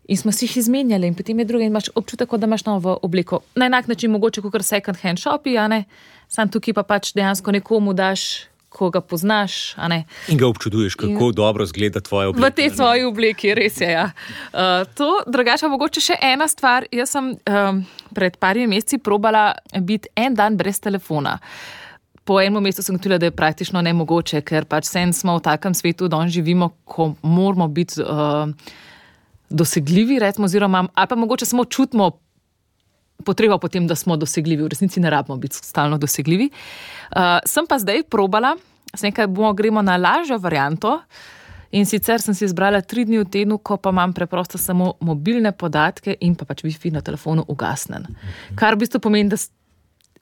in smo si jih izmenjali in potem je druge in imaš občutek, da imaš novo obleko. Na enak način mogoče kot second hand shopi, a ne? Sam tukaj pa pač dejansko nekomu daš, ko ga poznaš, a ne? In ga občuduješ, kako in dobro zgleda tvoja obleka. V tej tvoji obleki, res je, ja. Uh, to, drugače mogoče še ena stvar. Jaz sem um, pred parimi meseci probala biti en dan brez telefona. Po enem mestu sem gotovila, da je praktično nemogoče, ker pač sen smo v takem svetu, da živimo, ko moramo biti uh, dosegljivi, recimo, oziroma, ali pa mogoče samo čutimo potrebo potem, da smo dosegljivi. V resnici ne rabimo biti stalno dosegljivi. Uh, sem pa zdaj probala, sem nekaj bomo gremo na lažjo varianto in sicer sem si izbrala tri dni v tednu, ko pa imam preprosto samo mobilne podatke in pa pač Wi-Fi na telefonu ugasnen. Kar v bistvu pomeni, da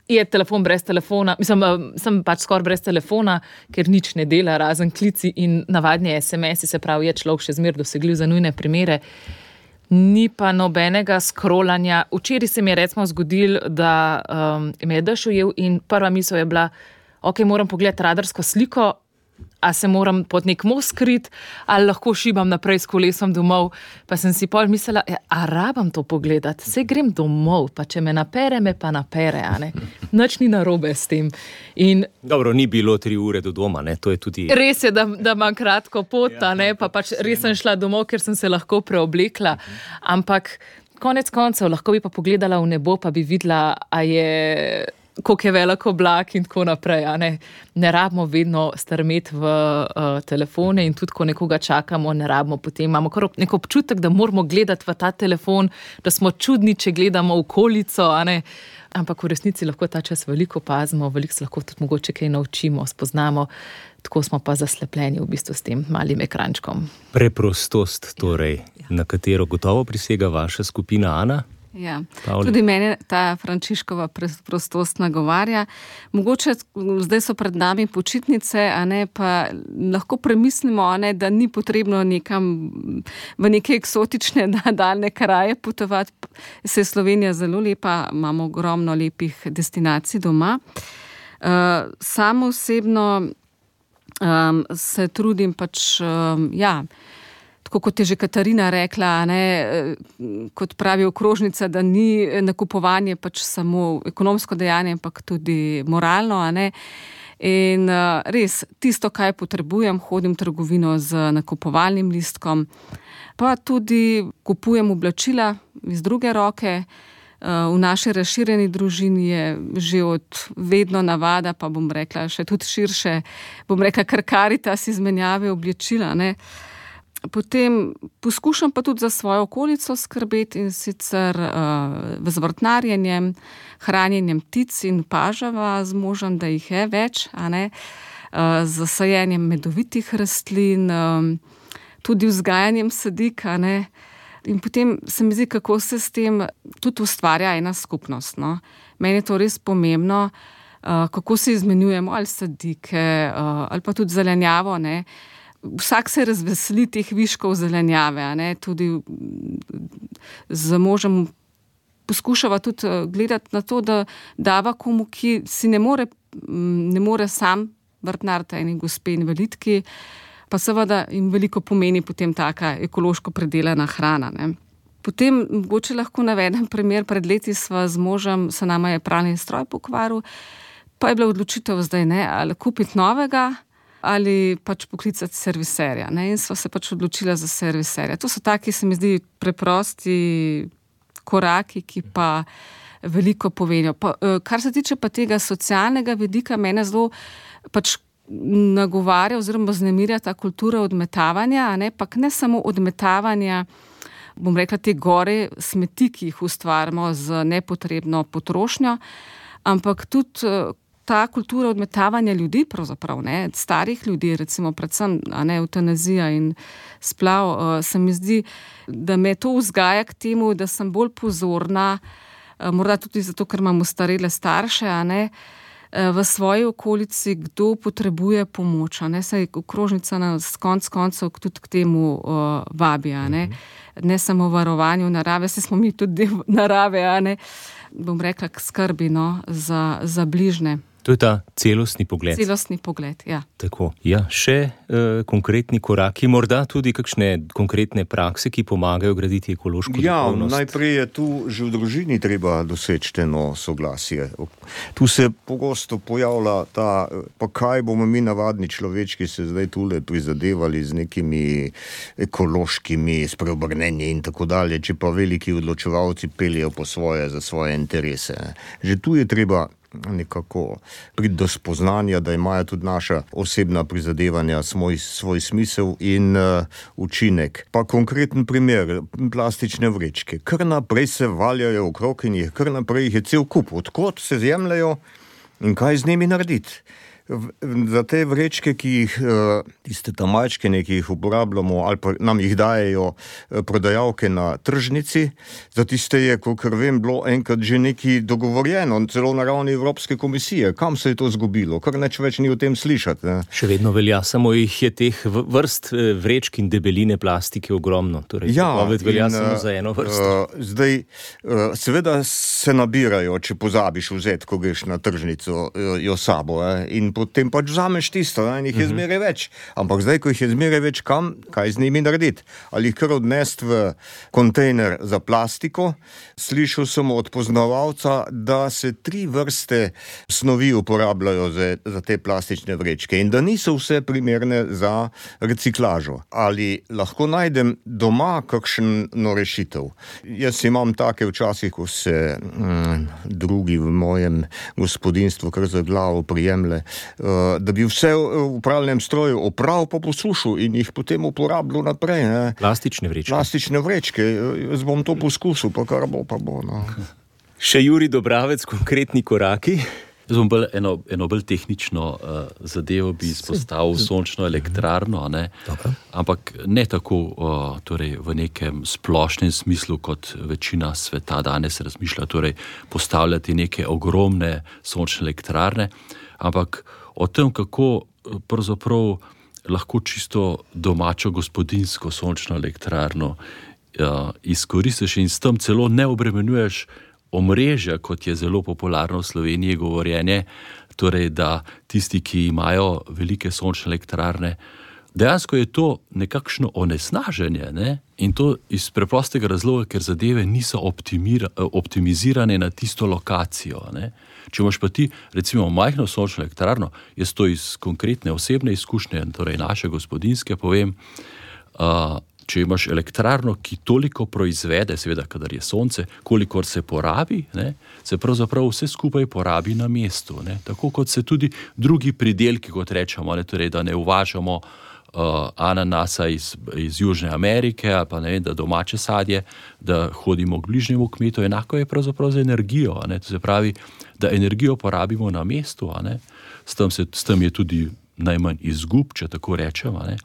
je telefon brez telefona, mislim, sem pač skoraj brez telefona, ker nič ne dela, razen klici in navadni es em esi, se pravi, je človek še zmer dosegljiv za nujne primere. Ni pa nobenega scrollanja. Včeraj se mi je recimo zgodil, da um, me je dež ujel in prva misel je bila, ok, moram pogledati radarsko sliko, a se moram pod nek most skriti, ali lahko šibam naprej s kolesom domov. Pa sem si pol mislila, a rabam to pogledati, saj grem domov, pa če me napere, me pa napere, a ne. Nič ni narobe s tem. In dobro, ni bilo tri ure do doma, ne, to je tudi... Res je, da, da imam kratko pot, a ne, pa pač res sem šla domov, ker sem se lahko preoblekla, ampak konec koncev lahko bi pa pogledala v nebo, pa bi videla, a je... koliko je velik oblak in tako naprej. Ne, ne rabimo vedno strmeti v uh, telefone in tudi, ko nekoga čakamo, ne rabimo potem. Imamo kar nek občutek, da moramo gledati v ta telefon, da smo čudni, če gledamo v okolico, a ne. Ampak v resnici lahko ta čas veliko pazimo, veliko se lahko tudi mogoče kaj naučimo, spoznamo. Tako smo pa zaslepljeni v bistvu s tem malim ekrančkom. Preprostost torej, ja. Na katero gotovo prisega vaša skupina, Ana? Ja, tudi mene ta Frančiškova preprostost nagovarja. Mogoče zdaj so pred nami počitnice, a ne, pa lahko premislimo, a ne, da ni potrebno nekam v neke eksotične daljne kraje potovati. Se je Slovenija zelo lepa, imamo ogromno lepih destinacij doma. Uh, samo osebno um, se trudim pač, um, ja, tako kot je že Katarina rekla, ne, kot pravi okrožnica, da ni nakupovanje pač samo ekonomsko dejanje, ampak tudi moralno, a ne. In res, tisto, kaj potrebujem, hodim v trgovino z nakupovalnim listkom, pa tudi kupujem oblačila iz druge roke. V naši razširjeni družini je že od vedno navada, pa bom rekla še tudi širše, bom rekla kar Karitas izmenjave oblačila, ne. Potem poskušam pa tudi za svojo okolico skrbeti, in sicer uh, z vrtnarjenjem, hranjenjem ptic in pažava z možem, da jih je več, a ne, uh, z sajenjem medovitih rastlin, um, tudi vzgajanjem sadik, a ne. In potem se mi zdi, kako se s tem tudi ustvarja ena skupnost, no. Meni je to res pomembno, uh, kako se izmenjujemo ali sadike, uh, ali pa tudi zelenjavo, ne. Vsak se razveseli teh viškov zelenjave, a ne, tudi z možem poskušava tudi gledati na to, da dava komu, ki si ne more, ne more sam vrtnariti eni gospe invalidki, pa seveda jim veliko pomeni potem taka ekološko predelana hrana, ne. Potem mogoče lahko navedem primer, pred leti sva z možem, se nama je pralni stroj pokvaril, pa je bila odločitev zdaj, ne, ali kupiti novega, ali pač poklicati serviserja, ne, in sva se pač odločila za serviserja. To so taki, se mi zdi, preprosti koraki, ki pa veliko povenijo. Pa, kar se tiče pa tega socialnega vidika, mene zelo pač nagovarja oziroma vznemirja ta kultura odmetavanja, a ne, pa ne samo odmetavanja, bom rekla, te gore smeti, ki jih ustvarjamo z nepotrebno potrošnjo, ampak tudi ta kultura odmetavanja ljudi, pravzaprav, ne, starih ljudi, recimo predvsem, a ne, eutanazija in splav, uh, se mi zdi, da me to vzgaja k temu, da sem bolj pozorna, uh, morda tudi zato, ker imamo starele starše, a ne, uh, v svoji okolici, kdo potrebuje pomoč, a ne, saj okrožnica nas konc koncev tudi k temu uh, vabi, a ne, ne samo varovanju narave, saj smo mi tudi del narave, a ne, bom rekla, k skrbi, no, za, za bližne. To je ta celostni pogled. Celostni pogled, ja. Tako. Ja, še eh, konkretni koraki, morda tudi kakšne konkretne prakse, ki pomagajo graditi ekološko duhovnost. Ja, najprej je tu že v družini treba doseči eno soglasje. Tu se pogosto pojavlja ta, pa kaj bomo mi navadni človečki se zdaj tule prizadevali z nekimi ekološkimi spreobrnenji in tako dalje, če pa veliki odločevalci peljejo po svoje za svoje interese. Že tu je treba nekako priti do spoznanja, da imajo tudi naša osebna prizadevanja svoj, svoj smisel in uh, učinek. Pa konkreten primer, plastične vrečke. Kar naprej se valjajo okrog in jih kar naprej jih je cel kup. Odkot se zjemljajo in kaj z njimi narediti? Za te vrečke, ki jih, tiste tamačkene, ki jih uporabljamo ali pa nam jih dajejo prodajalke na tržnici, za tiste je, kakor vem, bilo enkrat že nekaj dogovorjeno, celo na ravni Evropske komisije. Kam se je to zgubilo? Kar nič več ni o tem slišati. Ne? Še vedno velja, samo jih je teh vrst vrečk in debeline plastike ogromno. Torej, ja, velja in, samo za eno vrsto. Uh, zdaj, uh, seveda se nabirajo, če pozabiš vzeti, ko greš na tržnico, uh, jo sabo, eh? In potem pač vzameš tisto, in jih je zmeraj več. Ampak zdaj, ko jih je zmeraj več, kam, kaj z njimi narediti? Ali jih kar odnesti v kontejner za plastiko? Slišal sem od poznavalca, da se tri vrste snovi uporabljajo za, za te plastične vrečke in da niso vse primerne za reciklažo. Ali lahko najdem doma kakšno rešitev? Jaz imam take včasih, ko se mm, drugi v mojem gospodinstvu kar za glavo prijemle, da bi vse v pralnem stroju opravil pa poslušal in jih potem uporabljal naprej. Ne. Plastične vrečke. Plastične vrečke. Jaz bom to poskusil, pa kar bo, pa bo. No. Še Jurij Dobravec, konkretni koraki. Jaz bom bolj eno, eno bolj tehnično uh, zadevo bi izpostavil sončno elektrarno, ne? Ampak ne tako uh, torej v nekem splošnem smislu, kot večina sveta danes razmišlja, torej postavljati neke ogromne sončne elektrarne, ampak o tem, kako pravzaprav lahko čisto domačo gospodinsko sončno elektrarno uh, izkoristiš in s tem celo ne obremenjuješ omrežja, kot je zelo popularno v Sloveniji govorjenje, torej da tisti, ki imajo velike sončne elektrarne, dejansko je to nekakšno onesnaženje, ne? In to iz preprostega razloga, ker zadeve niso optimizirane na tisto lokacijo. Ne? Če imaš pa ti, recimo, majhno sončno elektrarno, jaz to iz konkretne osebne izkušnje, torej naše gospodinjske povem, uh, če imaš elektrarno, ki toliko proizvede, seveda, kadar je sonce, kolikor se porabi, ne, se pravzaprav vse skupaj porabi na mestu. Ne. Tako kot se tudi drugi pridelki, kot rečemo, ne, torej, da ne uvažamo uh, ananasa iz, iz Južne Amerike, pa ne vem, da domače sadje, da hodimo k bližnjemu kmetu, enako je pravzaprav z energijo. Ne. To se pravi, da energijo porabimo na mestu, a ne. S tem, se, s tem je tudi najmanj izgub, če tako rečem. Ne?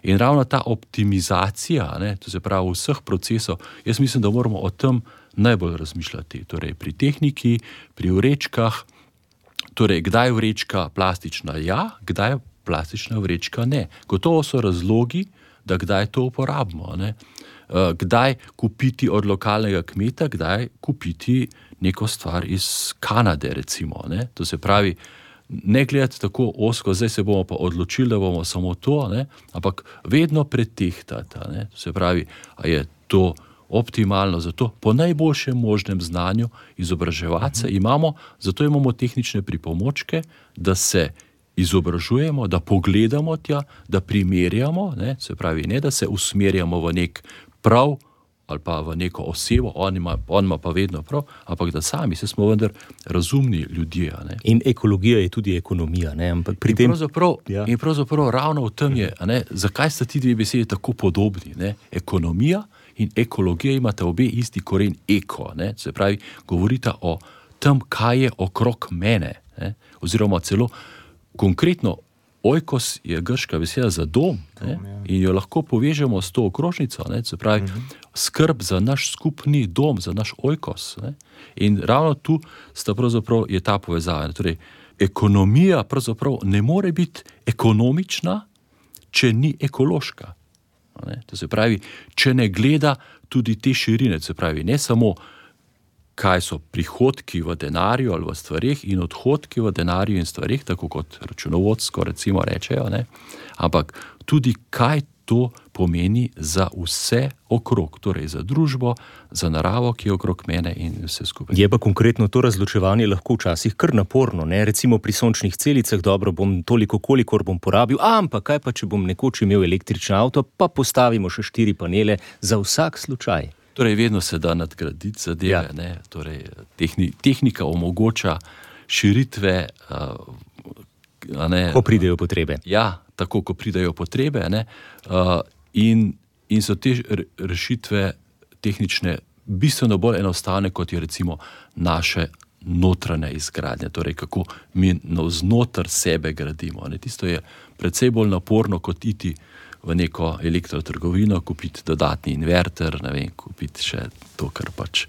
In ravno ta optimizacija, ne, to se pravi vseh procesov, jaz mislim, da moramo o tem najbolj razmišljati. Torej pri tehniki, pri vrečkah, torej kdaj vrečka plastična ja, kdaj plastična vrečka ne. Gotovo so razlogi, da kdaj to uporabimo. Ne? Kdaj kupiti od lokalnega kmeta, kdaj kupiti neko stvar iz Kanade, recimo. Ne? To se pravi, ne gledati tako ozko, zdaj se bomo pa odločili, da bomo samo to, ne? Ampak vedno pretehtati. Ne? To se pravi, a je to optimalno, zato po najboljšem možnem znanju izobraževati se imamo, zato imamo tehnične pripomočke, da se izobražujemo, da pogledamo tja, da primerjamo, ne? Se pravi, ne da se usmerjamo v nek prav ali pa v neko osebo, on ima, on ima pa vedno prav, ampak da sami se smo vendar razumni ljudje. Ne? In ekologija je tudi ekonomija. Ne? Ampak pri in, tem... pravzaprav, ja. in pravzaprav ravno v tem je, ne? Zakaj sta ti dve besedi tako podobni? Ne? Ekonomija in ekologija imata obe isti koren eko. Ne? Se pravi, govorita o tem, kaj je okrog mene. Ne? Oziroma celo konkretno oikos je grška beseda za dom, ne? In jo lahko povežemo s to okrožnico, ne? Se pravi, uh-huh. skrb za naš skupni dom, za naš oikos. Ne? In ravno tu sta pravzaprav je ta povezava. Torej, ekonomija pravzaprav ne more biti ekonomična, če ni ekološka. Ne? To se pravi, če ne gleda tudi te širine, se pravi, ne samo kaj so prihodki v denarju ali v stvarih in odhodki v denarju in stvarih, tako kot računovodsko recimo rečejo, ne? Ampak tudi kaj to pomeni za vse okrog, torej za družbo, za naravo, ki je okrog mene in vse skupaj. Je pa konkretno to razločevanje lahko včasih kar naporno, ne? Recimo pri sončnih celicah, dobro, bom toliko, kolikor bom porabil, ampak kaj pa, če bom nekoč imel električni avto, pa postavimo še štiri panele za vsak slučaj. Torej, vedno se da nadgraditi zadeve, ja. Ne? Torej, tehni, tehnika omogoča širitve, uh, a ne, ko pridejo potrebe. Ja, tako, ko pridejo potrebe, ne? Uh, in, in so te rešitve tehnične bistveno bolj enostavne, kot je recimo naše notranje izgradnje, torej kako mi navznoter sebe gradimo. Ne? Tisto je precej bolj naporno, kot iti v neko elektrotrgovino, kupiti dodatni inverter, ne vem, kupiti še to, kar pač,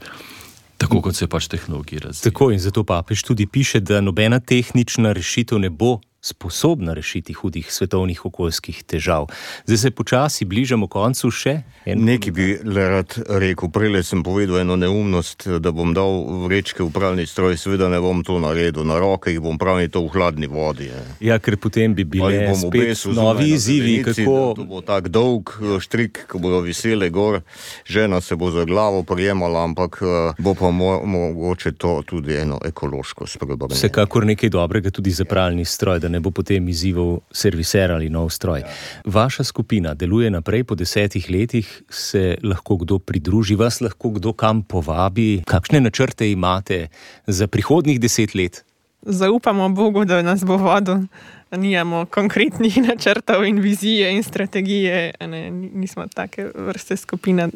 tako kot se pač tehnologija razvija. Tako, in zato papež tudi piše, da nobena tehnična rešitev ne bo sposobna rešiti hudih svetovnih okoljskih težav. Zdaj se počasi bližamo koncu še. En... Nekaj bi le rad rekel, prele sem povedal eno neumnost, da bom dal vrečke v pralni stroj, seveda ne bom to naredil, na roke jih bom pravni to v hladni vodi. Je. Ja, ker potem bi bile spet novi izzivi, kako... To bo tak dolg štrik, ko bodo visele gor, žena se bo za glavo prijemala, ampak bo pa mo- mogoče to tudi eno ekološko spreobrnenje. Vsekakor nekaj dobrega tudi za pralni stroj, da ne bo potem izzival serviser ali nov stroj. Vaša skupina deluje naprej po desetih letih, se lahko kdo pridruži, vas lahko kdo kam povabi? Kakšne načrte imate za prihodnjih deset let? Zaupamo Bogu, da nas bo vodil. Nijamo konkretnih načrtov in vizije in strategije, ne, nismo take vrste skupine.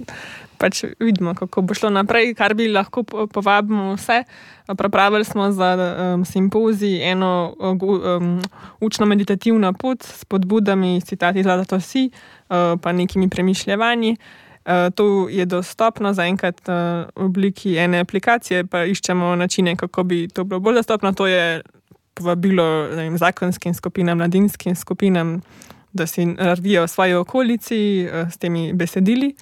Pač vidimo, kako bo šlo naprej, kar bi lahko povabimo vse. Pripravili smo za um, simpozij eno um, učno-meditativno pot s podbudami, citati Laudato Si, uh, pa nekimi premišljevanji. Uh, to je dostopno zaenkrat uh, v obliki ene aplikacije, pa iščemo načine, kako bi to bilo bolj dostopno. To je povabilo ne vem, zakonskim skupinam, mladinskim skupinam, da si naredijo v svoji okolici uh, s temi besedili.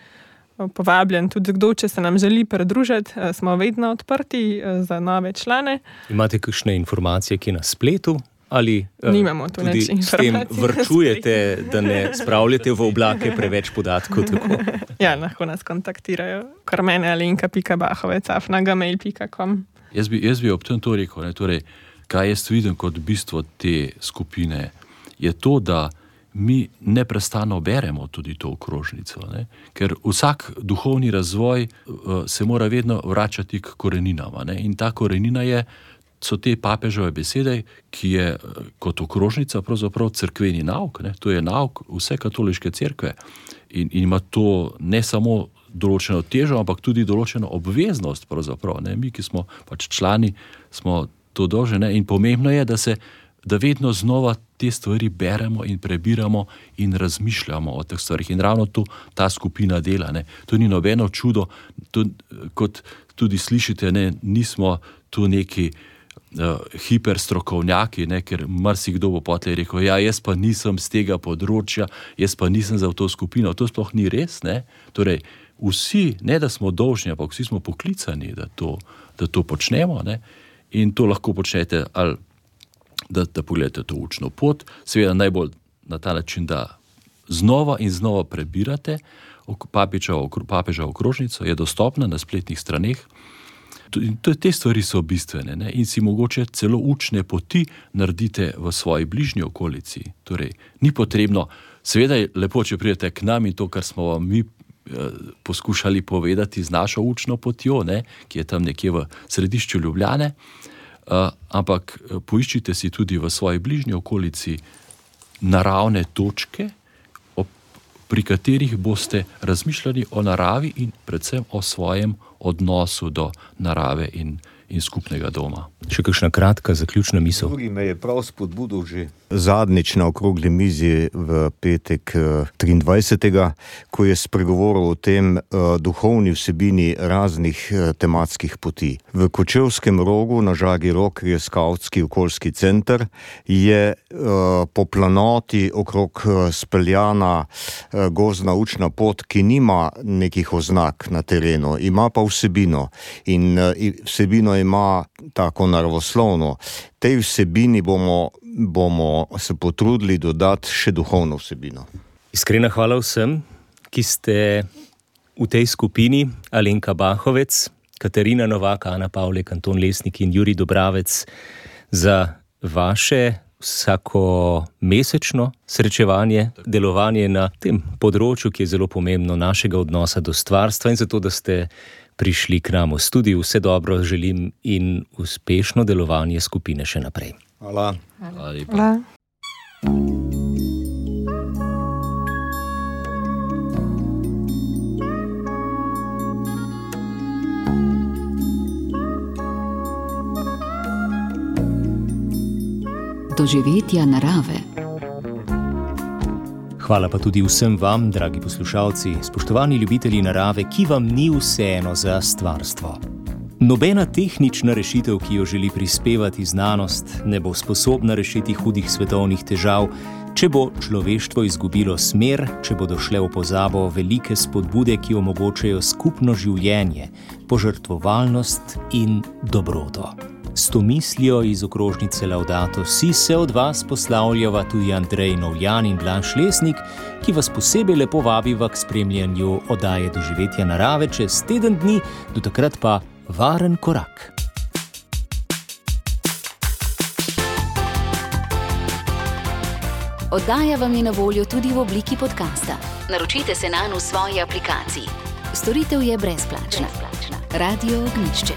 Povabljen tudi kdo, če se nam želi pridružiti, smo vedno odprti za nove člane. Imate kakšne informacije, ki na spletu? ali nimamo tu tudi s tem vrčujete, da ne spravljate v oblake preveč podatkov? Tako? Ja, lahko nas kontaktirajo. Kar mene alenka pika bahovec afna gmail pika com. Jaz bi, jaz bi ob tem to rekel, ne, torej, kaj jaz vidim kot bistvo te skupine, je to, da mi neprestano beremo tudi to okrožnico, ne? Ker vsak duhovni razvoj uh, se mora vedno vračati k koreninama, ne? In ta korenina je, so te papežove besede, ki je uh, kot okrožnica pravzaprav cerkveni nauk, ne? To je nauk vse katoliške cerkve in, in ima to ne samo določeno težo, ampak tudi določeno obveznost pravzaprav, ne? Mi, ki smo pač člani, smo to dolžni, in pomembno je, da se da vedno znova te stvari beremo in prebiramo in razmišljamo o teh stvarih. In ravno to ta skupina dela. Ne. To ni nobeno čudo, to, kot tudi slišite, ne, nismo tu neki uh, hiperstrokovnjaki, ne, ker marsikdo bo potlej rekel, ja, jaz pa nisem z tega področja, jaz pa nisem za to skupino. To sploh ni res. Ne. Torej, vsi, ne da smo dolžni, ampak vsi smo poklicani, da to, da to počnemo. Ne. In to lahko počnete ali Da, da pogledate to učno pot, seveda najbolj na ta način, da znova in znova prebirate papeža okrožnico, je dostopna na spletnih straneh. Te stvari so bistvene, ne? In si mogoče celo učne poti naredite v svoji bližnji okolici. Torej, ni potrebno, seveda je lepo, če pridete k nam in to, kar smo vam mi eh, poskušali povedati z našo učno potjo, ne? Ki je tam nekje v središču Ljubljane. Uh, ampak poiščite si tudi v svoji bližnji okolici naravne točke, ob, pri katerih boste razmišljali o naravi in predvsem o svojem odnosu do narave in, in skupnega doma. Še kakšna kratka zaključna misel? Drugi me je prav spodbudil že zadnjič na okrogli mizi v petek triindvajsetega ko je spregovoril o tem uh, duhovni vsebini raznih uh, tematskih poti. V Kočevskem Rogu na Žagi Rok, ki je skavtski okoljski center, je uh, po planoti okrog uh, speljana uh, gozdna učna pot, ki nima nekih oznak na terenu, ima pa vsebino. In uh, vsebino ima tako naravoslovno. Tej vsebini bomo, bomo se potrudili dodati še duhovno vsebino. Iskrena hvala vsem, ki ste v tej skupini, Alenka Bahovec, Katarina Novak, Ana Pavlek, Anton Lesnik in Jurij Dobravec, za vaše vsako mesečno srečevanje, delovanje na tem področju, ki je zelo pomembno, našega odnosa do stvarstva, in zato, da ste prišli k nam v studiu. Vse dobro želim in uspešno delovanje skupine še naprej. Hvala. Hvala lepa. Hvala. Doživetja narave. Hvala pa tudi vsem vam, dragi poslušalci, spoštovani ljubitelji narave, ki vam ni vseeno za stvarstvo. Nobena tehnična rešitev, ki jo želi prispevati znanost, ne bo sposobna rešiti hudih svetovnih težav, če bo človeštvo izgubilo smer, če bodo šle v pozabo velike spodbude, ki omogočajo skupno življenje, požrtvovalnost in dobroto. S to mislijo iz okrožnice Laudato Si se od vas poslavljava tudi Andrej Novjan in Blaž Lesnik, ki vas posebej lepo vabiva k spremljanju oddaje Doživetja narave čez teden dni, do takrat pa varen korak. Oddaja vam je na voljo tudi v obliki podcasta. Naročite se nanj v svoji aplikaciji. Storitev je brezplačna. Radio Ognjišče.